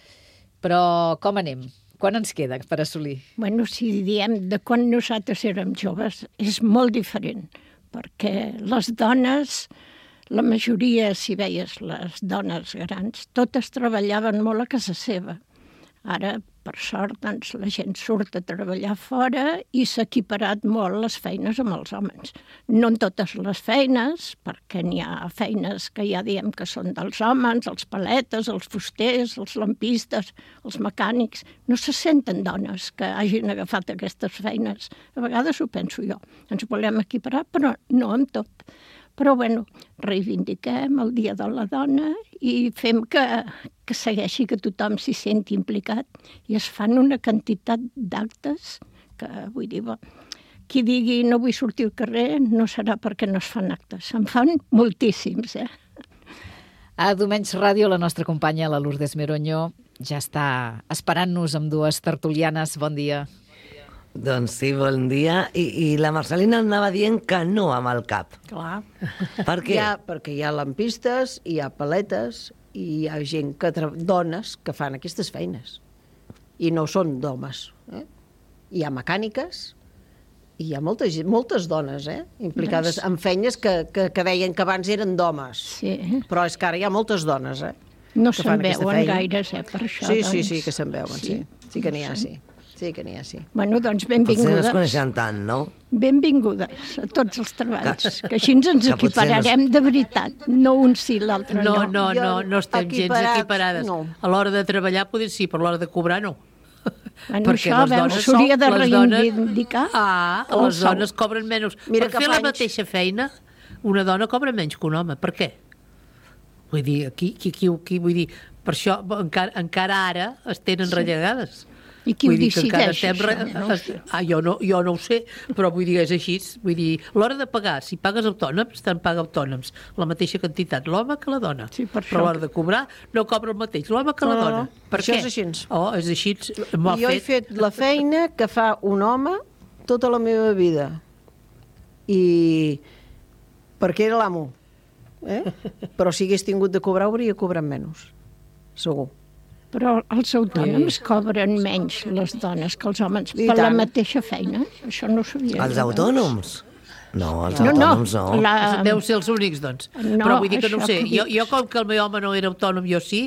però com anem? Quan ens queda per assolir? Bueno, si diem de quan nosaltres érem joves, és molt diferent, perquè les dones, la majoria, si veies les dones grans, totes treballaven molt a casa seva. Ara, per sort, doncs, la gent surt a treballar fora i s'ha equiparat molt les feines amb els homes. No en totes les feines, perquè n'hi ha feines que ja diem que són dels homes, els paletes, els fusters, els lampistes, els mecànics. No se senten dones que hagin agafat aquestes feines. A vegades ho penso jo. Ens volem equiparar, però no amb tot. Però, bueno, reivindiquem el Dia de la Dona i fem que, que segueixi, que tothom s'hi senti implicat. I es fan una quantitat d'actes que, vull dir, bo, qui digui no vull sortir al carrer no serà perquè no es fan actes. Se'n fan moltíssims, eh? A Domenys Ràdio, la nostra companya, la Lourdes Meroño, ja està esperant-nos amb dues tertulianes. Bon dia. Doncs sí, bon dia. I, i la Marcelina anava dient que no amb el cap. Clar. Per què? Hi ha, perquè hi ha lampistes, hi ha paletes, i hi ha gent, que dones, que fan aquestes feines. I no són d'homes. Eh? Hi ha mecàniques, i hi ha moltes, moltes dones eh? implicades en feines que, que, que deien que abans eren d'homes. Sí. Però és que ara hi ha moltes dones, eh? No se'n veuen gaires, eh, per això. Sí, doncs. sí, sí, que se'n veuen, sí. Sí, sí que n'hi ha, sí. Sí que n'hi ha, sí. Bueno, doncs benvingudes. Potser no es coneixen tant, no? Benvingudes a tots els treballs, que així ens equipararem de veritat, no un sí, l'altre no. No, no, no, no estem gens equiparades. A l'hora de treballar potser sí, però a l'hora de cobrar no. Bueno, això, veus, s'hauria de reivindicar. Ah, les dones cobren menys. Per fer la mateixa feina, una dona cobra menys que un home. Per què? Vull dir, aquí, aquí, aquí vull dir, per això encara, encara ara es tenen rellegades. I qui ho decideix? Re... No ho sé. Ah, jo, no, jo no ho sé, però vull dir, és així. Vull dir, l'hora de pagar, si pagues autònoms, te'n paga autònoms la mateixa quantitat l'home que la dona. Sí, per però a l'hora de cobrar no cobra el mateix l'home que la dona. No, per això què? és així. Oh, és així. Jo fet. he fet la feina que fa un home tota la meva vida. I perquè era l'amo. Eh? Però si hagués tingut de cobrar, hauria cobrat menys. Segur. Però els autònoms sí. cobren menys les dones que els homes I per tant. la mateixa feina. Això no ho sabia. Els autònoms? No, els no, autònoms no. no. La... Deu ser els únics, doncs. No, però vull dir que no ho sé. Que jo, jo, com que el meu home no era autònom, jo sí,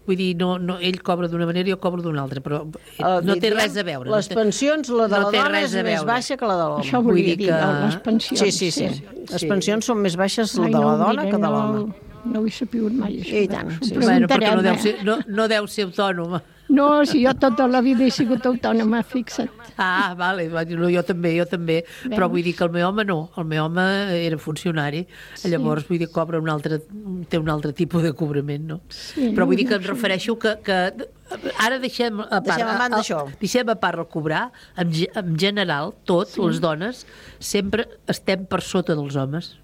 vull dir, no, no, ell cobra d'una manera i jo cobro d'una altra, però uh, no té res a veure. Les no té, pensions, la de no la dona és més baixa que la de l'home. Això volia dir, que... les pensions. Sí, sí, sí. sí. Les pensions són més baixes la de la dona que de l'home. no ho he sabut mai, això. I tant, sí. Bueno, perquè no deu ser, no, no deu ser autònoma. No, si jo tota la vida he sigut autònoma, fixa't. Ah, vale, no, jo també, jo també, Veus? però vull dir que el meu home no, el meu home era funcionari, Sí. llavors vull dir que cobra un altre, té un altre tipus de cobrament, no? Sí, Però vull dir que ja em sé. refereixo que, que ara deixem a part, Deixem a banda el- això. deixem a part el cobrar, en, ge- en general, tots, Sí. les dones, sempre estem per sota dels homes.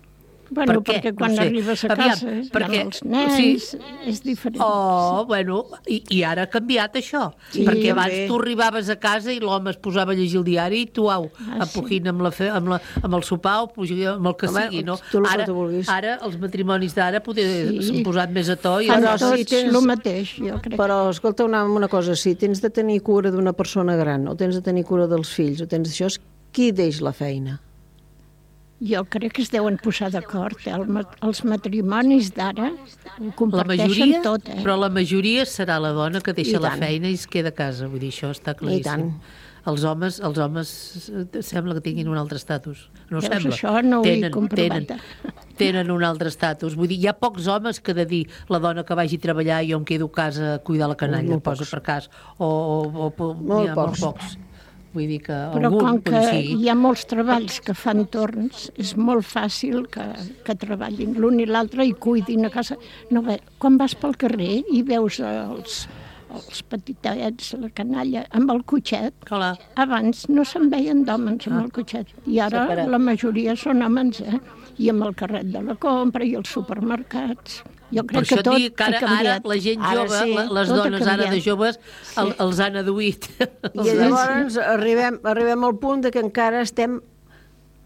Bueno, Per què? perquè quan No sé. arribes a Aviam, casa perquè- amb els nens sí. és diferent. Oh, bueno, i, i ara ha canviat això, Sí, perquè també. abans tu arribaves a casa i l'home es posava a llegir el diari i tu, au, Ah, empujint amb, la fe, amb, la, amb el sopar o pujant amb el que Home, sigui, no? tu el que Ara, tu vulguis. ara els matrimonis d'ara poder Sí. s'han posat més a to i Fan Però tots si tens- el mateix, jo crec. Però, escolta, una, una cosa, si tens de tenir cura d'una persona gran o tens de tenir cura dels fills o tens d'això, qui deix la feina? Jo crec que es deuen posar d'acord. Eh? El, ma- els matrimonis d'ara ho la comparteixen majoria, tot, eh? però la majoria serà la dona que deixa I la tant. feina i es queda a casa, vull dir, això està I claríssim. tant. Els homes, els homes eh, sembla que tinguin un altre estatus. No Veus, sembla. això no ho he tenen, comprovat. tenen, tenen un altre estatus. Vull dir, hi ha pocs homes que de dir la dona que vagi a treballar i jo em quedo a casa a cuidar la canalla, Molt posa pocs. per cas. O, o, o Molt n'hi ha pocs. molt pocs. Vull dir que Però algun, com que vull dir, sí. hi ha molts treballs que fan torns, és molt fàcil que, que treballin l'un i l'altre i cuidin a casa. No, bé, quan vas pel carrer i veus els, els petitets, la canalla, amb el cotxet, Clar. abans no se'n veien d'homes amb el cotxet. I ara Separat. la majoria són homes, eh? I amb el carret de la compra i els supermercats. Jo Per crec això que et tot dic que ha ara, ara canviat. la gent Ara jove, sí, la- les tot ha dones ara de canviat. joves, el, Sí. els han aduït. I llavors arribem, arribem al punt de que encara estem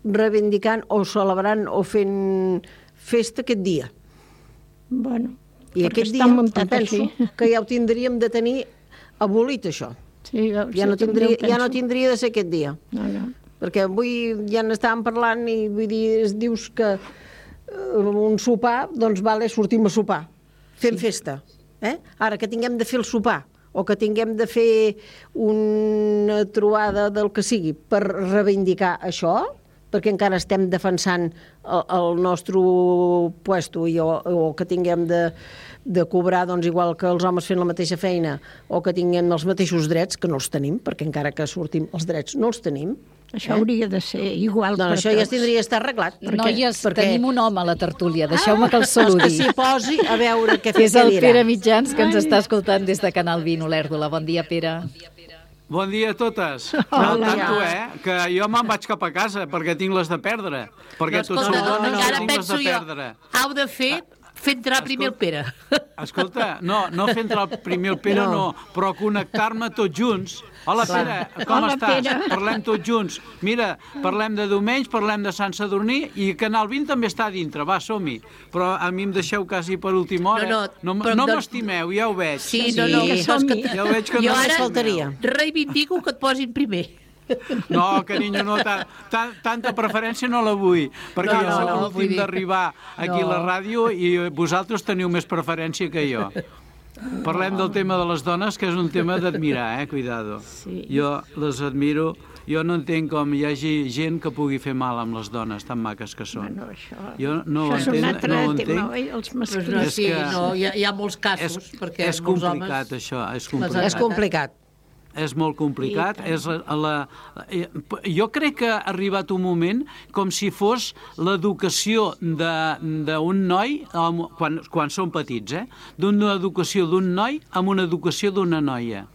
reivindicant o celebrant o fent festa aquest dia. Bueno, I perquè aquest està dia em muntat penso així. que ja ho tindríem de tenir abolit, això. Sí, veus, Ja no, jo també tindria, ho ja no penso. tindria de ser aquest dia. No, no. Perquè avui ja n'estàvem parlant i vull dir, es dius que eh, un sopar, doncs vale, sortim a sopar, fem sí. festa. Eh? Ara que tinguem de fer el sopar o que tinguem de fer una trobada del que sigui per reivindicar això, perquè encara estem defensant el, el nostre puesto i, o, o que tinguem de, de cobrar doncs, igual que els homes fent la mateixa feina o que tinguem els mateixos drets, que no els tenim, perquè encara que sortim els drets no els tenim. Això hauria de ser igual Doncs per això ja tots. tindria d'estar arreglat. Noies, perquè... tenim un home a la tertúlia, deixeu-me que el saludi. Que s'hi posi a veure què, Que és el què dirà. Pere Mitjans, que ens està escoltant des de Canal vint, Olèrdola. Bon dia, Pere. Bon dia a totes. Hola. No, tanto, eh, que jo me'n vaig cap a casa perquè tinc les de perdre. Perquè tots Escolta, sou dones i encara tinc les penso de jo, perdre. heu de fer fer entrar primer el Pere. Escolta, no, no fer entrar el primer el Pere, no, no però connectar-me tots junts. Hola, Clar. Pere, com Hola, estàs? Pere. Parlem tots junts. Mira, parlem de diumenge, parlem de Sant Sadurní i Canal vint també està a dintre, va, som-hi. Però a mi em deixeu quasi per última hora. No, no, no, però no doncs- m'estimeu, ja ho veig. Sí, no, no, que saps que... Ja ho veig que jo no ara m'estimeu. reivindico que et posin primer. No, carinyo, no, ta, ta, tanta preferència no la vull, perquè No, jo no, soc no, vull l'últim dir- d'arribar aquí No. a la ràdio i vosaltres teniu més preferència que jo. Parlem del tema de les dones, que és un tema d'admirar, eh? Cuidado. Sí. Jo les admiro. Jo no entenc com hi hagi gent que pugui fer mal amb les dones tan maques que són. Bueno, això, Jo no ho això és un entenc, altre no ho tema, entenc. oi? Els Pues no, masclistes. sí, que- no, hi, ha, hi ha molts casos, És, perquè és molts complicat, homes... això, és les complicat. És complicat. És molt complicat. I tant. És la, la, eh, jo crec que ha arribat un moment com si fos l'educació d'un noi, amb- quan, quan són petits, eh? D'una educació d'un noi amb una educació d'una noia.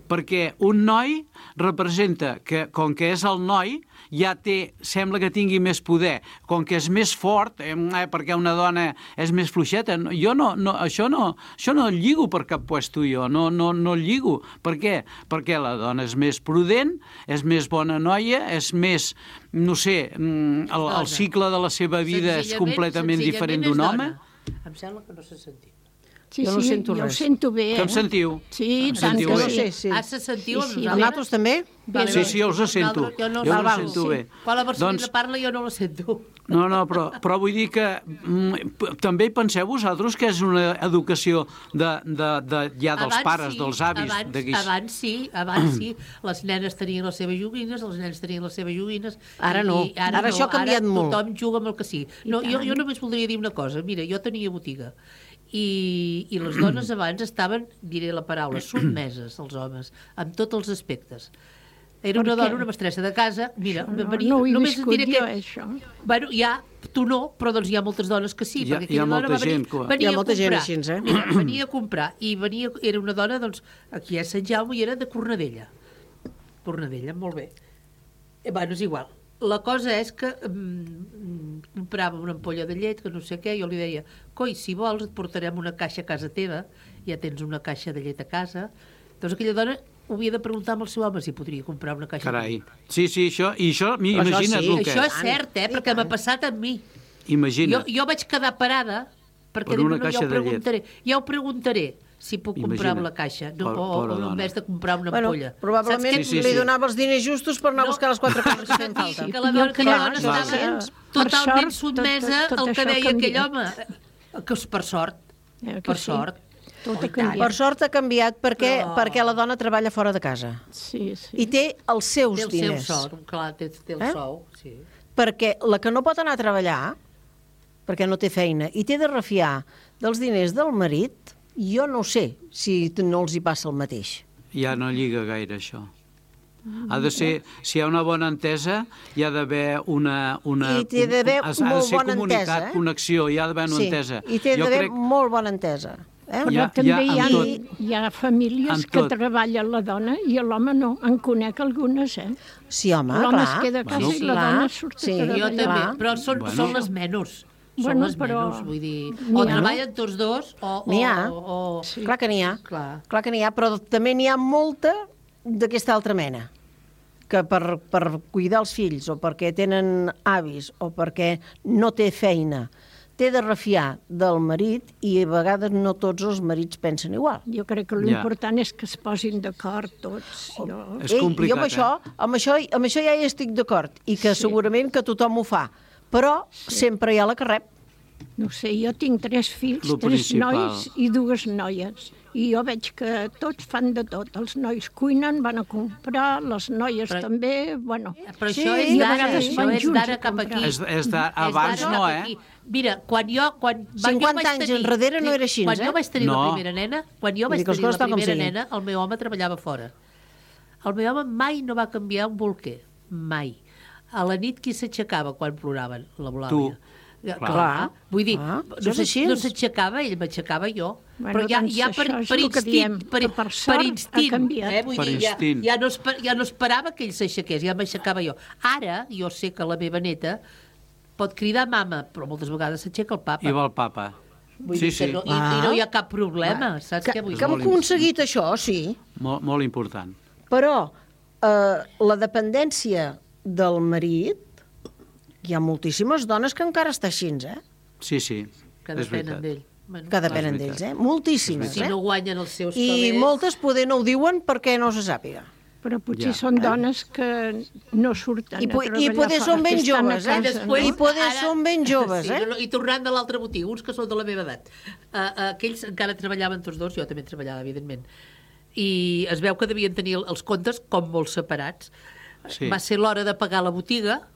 Perquè un noi representa que, com que és el noi, ja té, sembla que tingui més poder. Com que és més fort, eh, perquè una dona és més fluixeta, no, jo no, no, això no, això no el lligo per cap puesto jo, no, no, no el lligo. Per què? Perquè la dona és més prudent, és més bona noia, és més, no sé, mm, el, el cicle de la seva vida és Senzillament- completament senzillament diferent és d'un dona. home. Em sembla que no s'ha sentit. Sí, jo no sí, sento jo res. ho sento bé, eh? Que em sentiu? Sí, Em tant sentiu que bé? sí. Sí, sí. Ah, se sentiu amb I nosaltres? nosaltres també? Vale, Sí, vale. sí, jo us sento. Nosaltres- Jo no, Jo us val, sento sí. bé. Quan la Barcelona Doncs- parla jo no la sento. No, no, però, però vull dir que mm, p- també penseu vosaltres que és una educació de, de, de, ja dels Abans pares, sí, dels avis, abans, de guix. abans sí, abans sí. Les nenes tenien les seves joguines, els nens tenien les seves joguines. Ara no. i Ara, Ara no. això ha canviat ara molt. Tothom juga amb el que sí. No, jo, jo només voldria dir una cosa. Mira, jo tenia botiga i, i les dones abans estaven, diré la paraula, sotmeses als homes, en tots els aspectes. Era una Per què? dona, una mestressa de casa, mira, No, venia, no ho he només et viscut diré jo, que... això. Bueno, ja, tu no, però doncs hi ha moltes dones que sí, Hi ha- perquè hi ha aquella dona molta va venir, gent que- venia Hi ha molta a gent comprar. així, eh? Mira, venia a comprar, i venia, era una dona, doncs, aquí a Sant Jaume, i era de Cornedella. Cornedella, molt bé. Eh, bueno, és igual. La cosa és que mm, comprava una ampolla de llet, que no sé què, jo li deia, coi, si vols et portarem una caixa a casa teva, ja tens una caixa de llet a casa. Doncs aquella dona ho havia de preguntar amb el seu home si podria comprar una caixa Carai. de llet. Sí, sí, això, i això, mi- Però això imagina't sí, el que Això és. és cert, eh? Perquè m'ha passat amb mi. Jo, Imagina't. jo vaig quedar parada perquè Per dic, una no, no, ja caixa ho de llet. preguntaré. Ja ho preguntaré si puc comprar Imagina't. la caixa no, Por- o, pobra o dona. en vez de comprar una Bueno, ampolla. probablement Saps Sí, sí, li sí. donava els diners justos per anar a No. buscar les quatre coses que feien Que, falta. que la dona, que la Clar, dona clar. estava Per totalment sort, sotmesa tot- tot al que això ha deia aquell canviat. home. Que és per sort. Eh, que Per sí? sort. Tot Oh, ha i tant. Per sort ha canviat perquè, Però- perquè la dona treballa fora de casa Sí, sí. i té els seus Té el diners. seu sou, clar, té, té el Eh? sou, sí. Perquè la que no pot anar a treballar, perquè no té feina, i té de refiar dels diners del marit, jo no sé si no els hi passa el mateix. Ja no lliga gaire, això. Ha de ser, si hi ha una bona entesa, hi ha d'haver una... una I té d'haver ha de molt ser bona comunicat, entesa, eh? connexió, hi ha d'haver una Sí, entesa. i té Jo d'haver crec- molt bona entesa. Eh? Però Hi ha- també hi ha hi ha, amb tot. hi ha famílies Amb que tot. treballa la dona i l'home no. En conec algunes, eh? Sí, home, L'home es clar. queda a casa Bueno. i la Clar, dona surt sí. a Jo treballar. també, Clar. però són, Bueno. són les menys. Són Bueno, les però menys, vull dir... n'hi O ha. treballen tots dos, o... N'hi ha. O, o, Sí. Clar que n'hi ha. Clar. Clar que n'hi ha, però també n'hi ha molta d'aquesta altra mena que per, per cuidar els fills o perquè tenen avis o perquè no té feina té de refiar del marit i a vegades no tots els marits pensen igual. Jo crec que Ja. l'important és que es posin d'acord tots. Jo... És Ei, complicat, jo amb això, amb, això, amb això ja hi estic d'acord i que Sí. segurament que tothom ho fa, però sempre hi ha la que rep. No sé, jo tinc tres fills, Lo tres principal. nois i dues noies. I jo veig que tots fan de tot. Els nois cuinen, van a comprar, les noies Però- també, bueno... Però Sí, això és i a d'ara, vegades això van és junts d'ara a cap comprar. aquí. És, és de, És abans d'ara no, cap eh? aquí. Mira, quan jo... Quan, va- jo cinquanta vaig anys tenir, enrere no era així, Quan eh? jo vaig tenir No. la primera nena, quan jo Vull vaig dir que les tenir la coses tal com primera siguin. nena, el meu home treballava fora. El meu home mai no va canviar un bolquer. Mai. A la nit qui s'aixecava quan ploraven? L'Eulàlia. Clar. Clar. Vull dir, Ah, no això és s'aix- així. no s'aixecava, ell m'aixecava jo. Bueno, Però ja, doncs ja per, això és per el que instint, diem, per, que per per sort ha instint, canviat. eh? Vull Per dir, ja, instint. ja, no esper, ja no esperava que ell s'aixequés, ja m'aixecava jo. Ara, jo sé que la meva neta pot cridar mama, però moltes vegades s'aixeca el papa. I va el papa. Vull Sí, dir que sí. no, i, i no hi ha cap problema, Va. saps Que, què vull que hem dir? aconseguit això, sí, Molt, molt important. però eh, la dependència del marit, hi ha moltíssimes dones que encara està així, eh? Sí, sí, Que és depenen veritat. d'ell. Bueno, Que depenen És veritat. d'ells, eh? Moltíssimes, si eh? no guanyen els seus I calés... moltes poder no ho diuen perquè no se sàpiga. Però potser Ja. són dones que no surten I, po a i treballar poder fora, són ben que estan a joves, eh? casa, Després, I poder ara- són ben joves, sí, eh? no, I tornant de l'altre motiu, uns que són de la meva edat. Uh, uh, aquells encara treballaven tots dos, jo també treballava, evidentment. I es veu que devien tenir els comptes com molt separats. Sí. Va ser l'hora de pagar la botiga,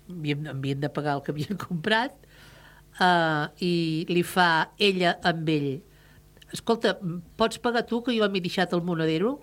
havien, havien de pagar el que havien comprat, uh, i li fa ella amb ell: escolta, pots pagar tu, que jo m'he deixat el monedero?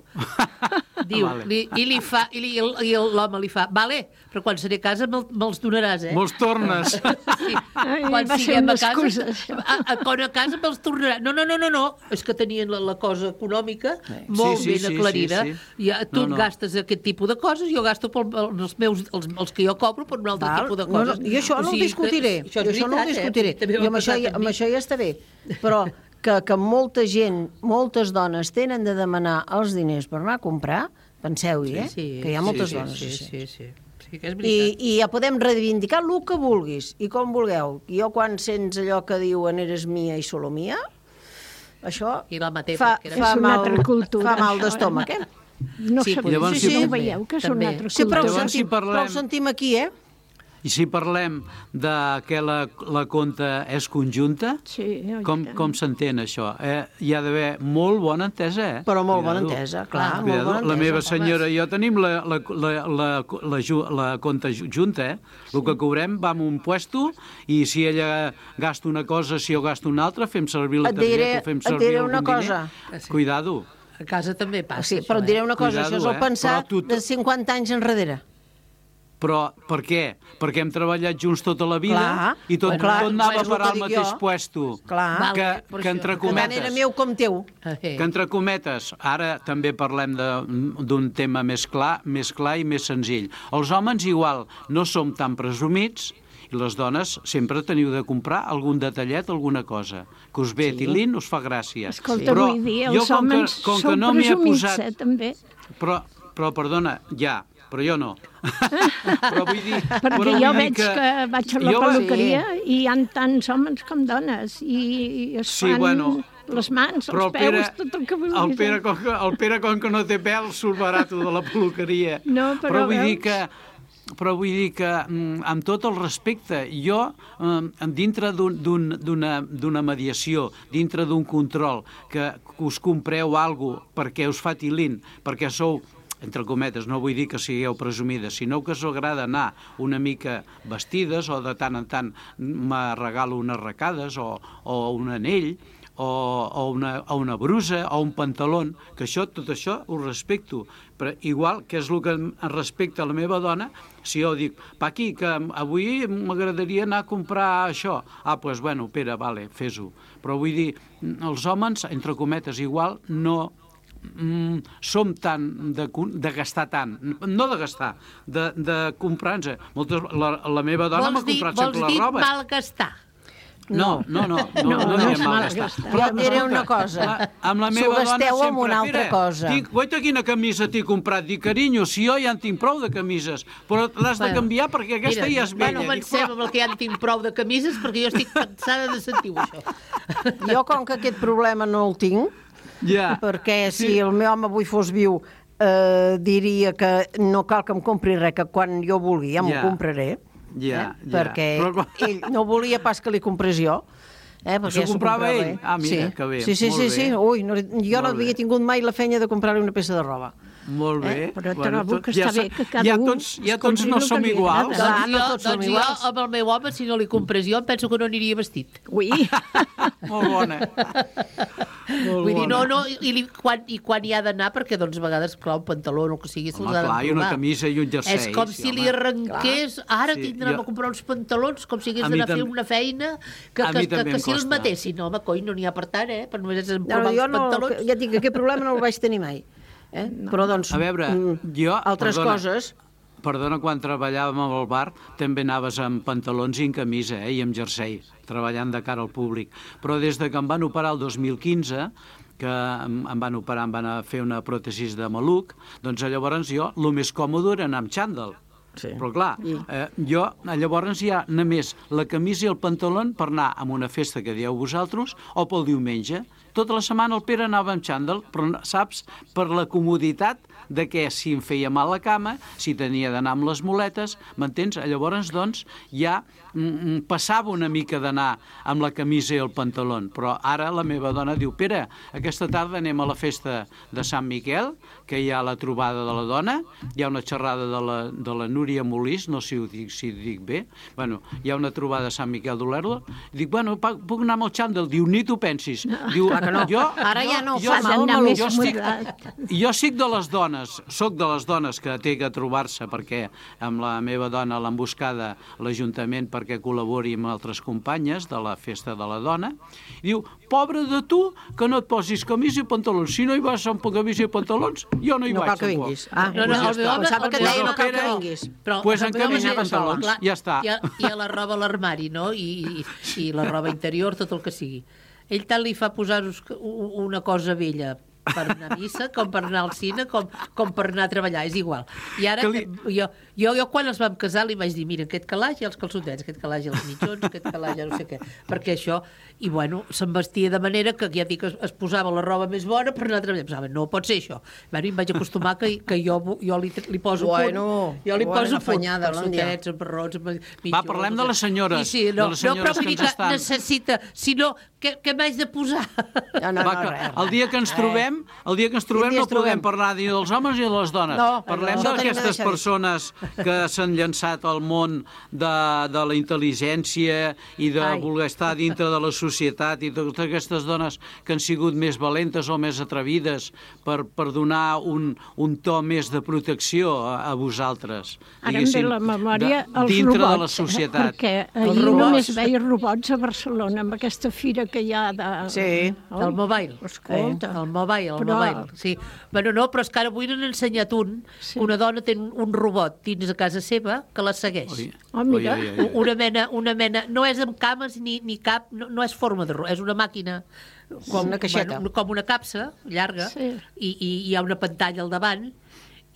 Diu, Vale. li, i, li fa, i, li, i l'home li fa: vale, però quan seré a casa me'l me'ls donaràs, eh? Molts tornes. Sí. Ai, Quan va ser siguem una a casa, excusa, això. a, a, quan a casa me'ls tornarà. No, no, no, no, no. És que tenien la, la cosa econòmica molt Sí, sí, ben sí, aclarida. sí, sí. Ja, tu No, no. gastes aquest tipus de coses, jo gasto pel, els meus, els, els que jo cobro per un altre Val? tipus de No, coses. no, jo això O no ho sigui, discutiré, que- això jo és això no ho veritat, discutiré, eh? També jo m'ha amb això, passat ja, amb amb mi. això ja està bé, però que, que molta gent, moltes dones tenen de demanar els diners per anar a comprar, penseu-hi, eh? Sí, que hi ha moltes sí, dones sí, així. sí, sí, sí, que és I, veritat. I ja podem reivindicar el que vulguis i com vulgueu. Jo quan sents allò que diuen eres mia i solo mia, això I la maté, fa, perquè era- fa, És una mal, altra cultura, fa mal això, d'estómac, eh? No Sí, sabia, llavors, sí, si- no veieu que és també. una altra Sí, però ho cultura. Llavors, si sentim, parlem- però ho sentim aquí, eh? I si parlem de que la, la compta és conjunta, Sí, oi com, tant. com s'entén això? Eh, hi ha d'haver molt bona entesa, eh? Però molt bona Cuidado. entesa, clar, molt Cuidado. bona La entesa. meva senyora i jo tenim la, la, la, la, la, ju- la compta ju- junta, eh? El que cobrem va en un puesto i si ella gasta una cosa, si jo gasto una altra, fem servir la Et diré- targeta, fem et servir diré algun una diner. cosa. Cuidado. A casa també passa, Sí, això, però et diré una cosa, Cuidado, això és el eh? pensat Però tu- de cinquanta anys enrere. Però per què? Perquè hem treballat junts tota la vida Clar. i tot, Bueno, clar, tot anava és a el parar que al dic mateix jo. puesto. Clar. Que, Val, per que això. entre Per tant, era cometes... meu com teu. Que entre cometes, ara també parlem de- d'un tema més clar, més clar i més senzill. Els homes igual no som tan presumits i les dones sempre teniu de comprar algun detallet, alguna cosa. Que us ve sí. tilín, us fa gràcia. Escolta, Però vull dir, jo, els com que- homes com que són no m'hi he presumits, posat- eh, també. Però, però perdona, ja, però jo no. però vull dir... Perquè però vull jo dir veig que, que vaig a la jo- peluqueria i hi ha tants homes com dones i, i es Sí, fan bueno, les mans, Però els el Pere, peus, tot el que vulguis. el Pere, com que, el Pere, com que no té pèl, surt barato de la peluqueria. No, però però vull dir veus? que però vull dir que, mm, amb tot el respecte, jo, eh, dintre d'un- d'un- d'una d'una mediació, dintre d'un control, que, que us compreu alguna cosa perquè us fa tilín, perquè sou entre cometes, no vull dir que sigueu presumides, sinó que us agrada anar una mica vestides o de tant en tant me regalo unes arracades o, o un anell, o, o, una, o una brusa o un pantaló, que això, tot això ho respecto, però igual que és el que em respecta a la meva dona, si jo dic, Paqui, que avui m'agradaria anar a comprar això, ah, doncs, pues, bueno, Pere, vale, fes-ho, però vull dir, els homes, entre cometes, igual no mm, som tan de, de gastar tant, no de gastar, de, de comprar-nos. Moltes, la, la meva dona m'ha Vols dir, comprat vols sempre dir la roba. malgastar? No, no, no, no, No, no, no, no no és mal mal gastar. gastar. Jo et diré una cosa. La, amb la S'ho meva dona gasteu sempre, amb una altra Pere, cosa. Tinc, guaita quina camisa t'he comprat. Dic, carinyo, si jo ja en tinc prou de camises, però l'has de Bueno, canviar perquè aquesta Mira, ja és vella. Bueno, Dic, comencem però- amb el que ja en tinc prou de camises, perquè jo estic cansada de sentir això. Jo, com que aquest problema no el tinc, Ja. perquè si el meu home avui fos viu, eh, diria que no cal que em compri res, que quan jo vulgui ja m'ho Ja. compraré, Ja, ja. perquè Però quan- ell no volia pas que li comprés jo. Eh, perquè S'ho ja s'ho comprava ell? ell. Ah, mira, sí. que bé, Sí, sí, molt sí, bé. sí. Ui, no, jo no Molt havia bé. tingut mai la feina de comprar-li una peça de roba. Molt bé. Eh? Però trobo que està sa- bé que cada ja un tots, ja es tots compri no el que som li iguals. agrada. Clar, no jo, tots som doncs jo, iguals. amb el meu home, si no li comprés jo, em penso que no aniria vestit. Ui, Molt bona. Molt Vull dir, no, bona. no, i, li, quan, i quan hi ha d'anar, perquè doncs a vegades, clar, un pantaló o el que sigui, se'ls Home, ha de clar, i una provar. camisa i un jersei. És com sí, si li home. arrenqués, ara Sí, tindrem jo- a comprar uns pantalons, com si hagués A mi d'anar a fer també- una feina que, a que, mi que, també que em si els costa. matessin. No, home, coi, no n'hi ha per tant, eh? Per només és No, provar jo els no, pantalons. ja et dic que aquest problema no el vaig tenir mai. Eh? Però doncs, A veure, mm, jo... altres perdona, coses... Perdona, quan treballàvem al bar també anaves amb pantalons i en camisa, eh, i amb jersei, treballant de cara al públic. Però des de que em van operar el dos mil quinze, que em, em van operar, em van a fer una pròtesis de maluc, doncs llavors jo el més còmode era anar amb xandall. Sí. Però clar, eh, jo llavors hi ha només la camisa i el pantaló per anar a una festa que dieu vosaltres o pel diumenge. Tota la setmana el Pere anava amb xandall, però saps, per la comoditat de que si em feia mal la cama, si tenia d'anar amb les muletes, m'entens? Llavors, doncs, ja mm, passava una mica d'anar amb la camisa i el pantaló, però ara la meva dona diu, Pere, aquesta tarda anem a la festa de Sant Miquel, que hi ha la trobada de la dona, hi ha una xerrada de la, de la Núria Molís, no sé si ho dic, si ho dic bé, bueno, hi ha una trobada de Sant Miquel d'Olèrdola, dic, bueno, pa- puc anar amb el xandall? Diu, ni t'ho pensis. Diu, Clar que no. jo, Ara ja no jo, fa jo, mal, d'anar maluc. més jo estic, moderat. jo estic de les dones, soc de les dones que té que trobar-se perquè amb la meva dona l'han buscada l'Ajuntament perquè col·labori amb altres companyes de la festa de la dona, i diu, pobre de tu, que no et posis camisa i pantalons. Si no hi vas amb camisa i pantalons, jo no hi No vaig. cal que tampoc. vinguis. Ah, No, no, doncs ja el meu està. home- Pensava que el meu deia no cal que home- vinguis. Però Pues el en meu home camisa i és pantalons, clar, ja està. Hi ha, hi ha la roba a l'armari, no? I, i, I la roba interior, tot el que sigui. Ell tant li fa posar-vos una cosa vella per anar a missa, com per anar al cine, com, com per anar a treballar, és igual. I ara, li... jo, jo, jo quan els vam casar li vaig dir, mira, aquest calaix i els calçotets, aquest calaix i els mitjons, aquest calaix ja no sé què, perquè això, i bueno, se'n vestia de manera que ja dic, es, es posava la roba més bona per anar a treballar. Pensava, no pot ser això. Bueno, i em vaig acostumar que, que jo, jo li, li poso bueno, punt, jo li bueno, poso punt, calçotets, emperrons, mitjons... Va, parlem de les senyores, I sí, no, de les senyores no, però que ens estan... necessita, sinó, què, què m'haig de posar? No, no, Va, no, que, res, el dia que ens trobem, el dia que ens trobem no podem parlar ni dels homes ni de les dones. No, Parlem no, d'aquestes no persones que s'han llançat al món de, de la intel·ligència i de Ai. voler estar dintre de la societat, i totes aquestes dones que han sigut més valentes o més atrevides per, per donar un, un to més de protecció a, a vosaltres. Ara em ve la memòria de, els dintre robots, de la societat. Eh? Perquè ahir només veia robots a Barcelona, amb aquesta fira que hi ha de... Sí, oh, del mobile. Escolta. Eh, el mobile, el però... mobile, sí. Bueno, no, però és que ara avui n'han ensenyat un, sí. que una dona té un robot dins de casa seva que la segueix. Oi. Oh, mira. Oi, oi, oi. Una mena, una mena, no és amb cames ni, ni cap, no, no és forma de robot, és una màquina com una caixeta. Bueno, com una capsa llarga, sí. i, i hi ha una pantalla al davant,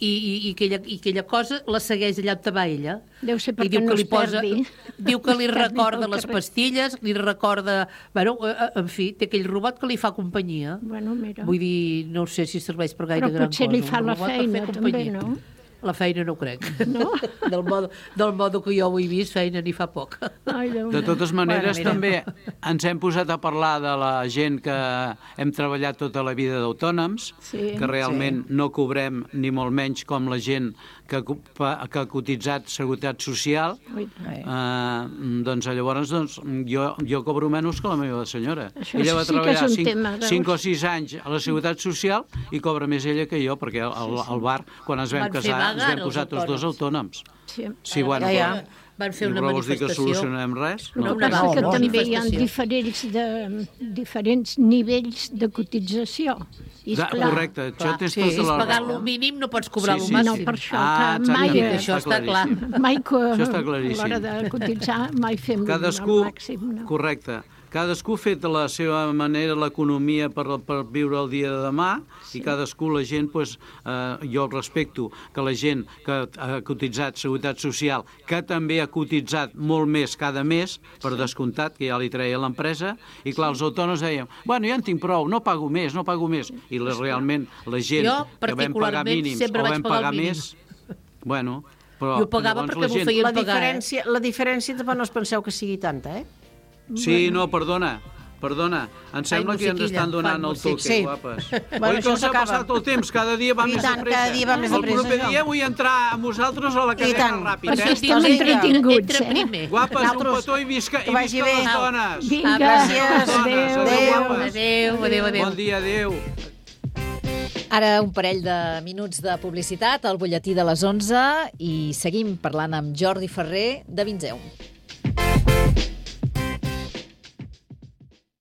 i, i, i, aquella, i aquella cosa la segueix allà on va ella. Deu ser perquè I diu no que li es posa, perdi. diu que li recorda les pastilles, li recorda... Bueno, en fi, té aquell robot que li fa companyia. Bueno, mira. Vull dir, no sé si serveix per gaire gran cosa. Però potser li fa la feina, també, no? La feina no ho crec. No? Del modo, del modo que jo ho he vist, feina n'hi fa poc. Ai, de totes maneres, bueno, també ens hem posat a parlar de la gent que hem treballat tota la vida d'autònoms, sí, que realment sí. no cobrem ni molt menys com la gent que, que ha cotitzat Seguretat Social. Eh, doncs llavors doncs, jo, jo cobro menys que la meva senyora. Això ella va sí treballar cinc o sis anys a la Seguretat Social i cobra més ella que jo, perquè al, al bar, quan ens vam Van casar, ens vam posar els tots dos autònoms. Sí, sí bueno, ja, ja. Van fer una però vols dir que manifestació. solucionem res? No, no, no, que també hi ha diferents, de, diferents nivells de cotització. I da, clar, correcte, això clar, tens sí, tota la és pagar el mínim, no pots cobrar sí, el sí, màxim. No, per això, ah, que mai, que això està clar. mai que això està a claríssim. l'hora de cotitzar mai fem Cadascú, el màxim. No. correcte. Cadascú ha fet de la seva manera l'economia per, per viure el dia de demà, sí. I cadascú, la gent, pues, eh, jo respecto que la gent que ha cotitzat Seguretat Social, que també ha cotitzat molt més cada mes, per descomptat, que ja li treia l'empresa, i clar, els autònoms deien, bueno, ja en tinc prou, no pago més, no pago més. I la, realment la gent jo, que vam pagar mínims o vam pagar més, bueno... Però, jo pagava perquè m'ho feien la pagar. Diferència, eh? La diferència tampoc no us penseu que sigui tanta, eh? Sí, no, perdona, perdona. Em sembla Ai, que ens estan donant el toque, sí. guapes. Bueno, Oi que s'ha passat el temps? Cada dia va I més tant, de pressa. cada dia va més de pressa. El proper dia vull entrar amb vosaltres a la cadena ràpid, perquè eh? estem entretinguts, eh? Guapes, un petó i visca, i visca les dones. Vinga, gràcies. Adéu. Adéu, adéu, adéu, adéu. Bon dia, adéu. Ara un parell de minuts de publicitat al butlletí de les onze i seguim parlant amb Jordi Ferrer de Vinzeu.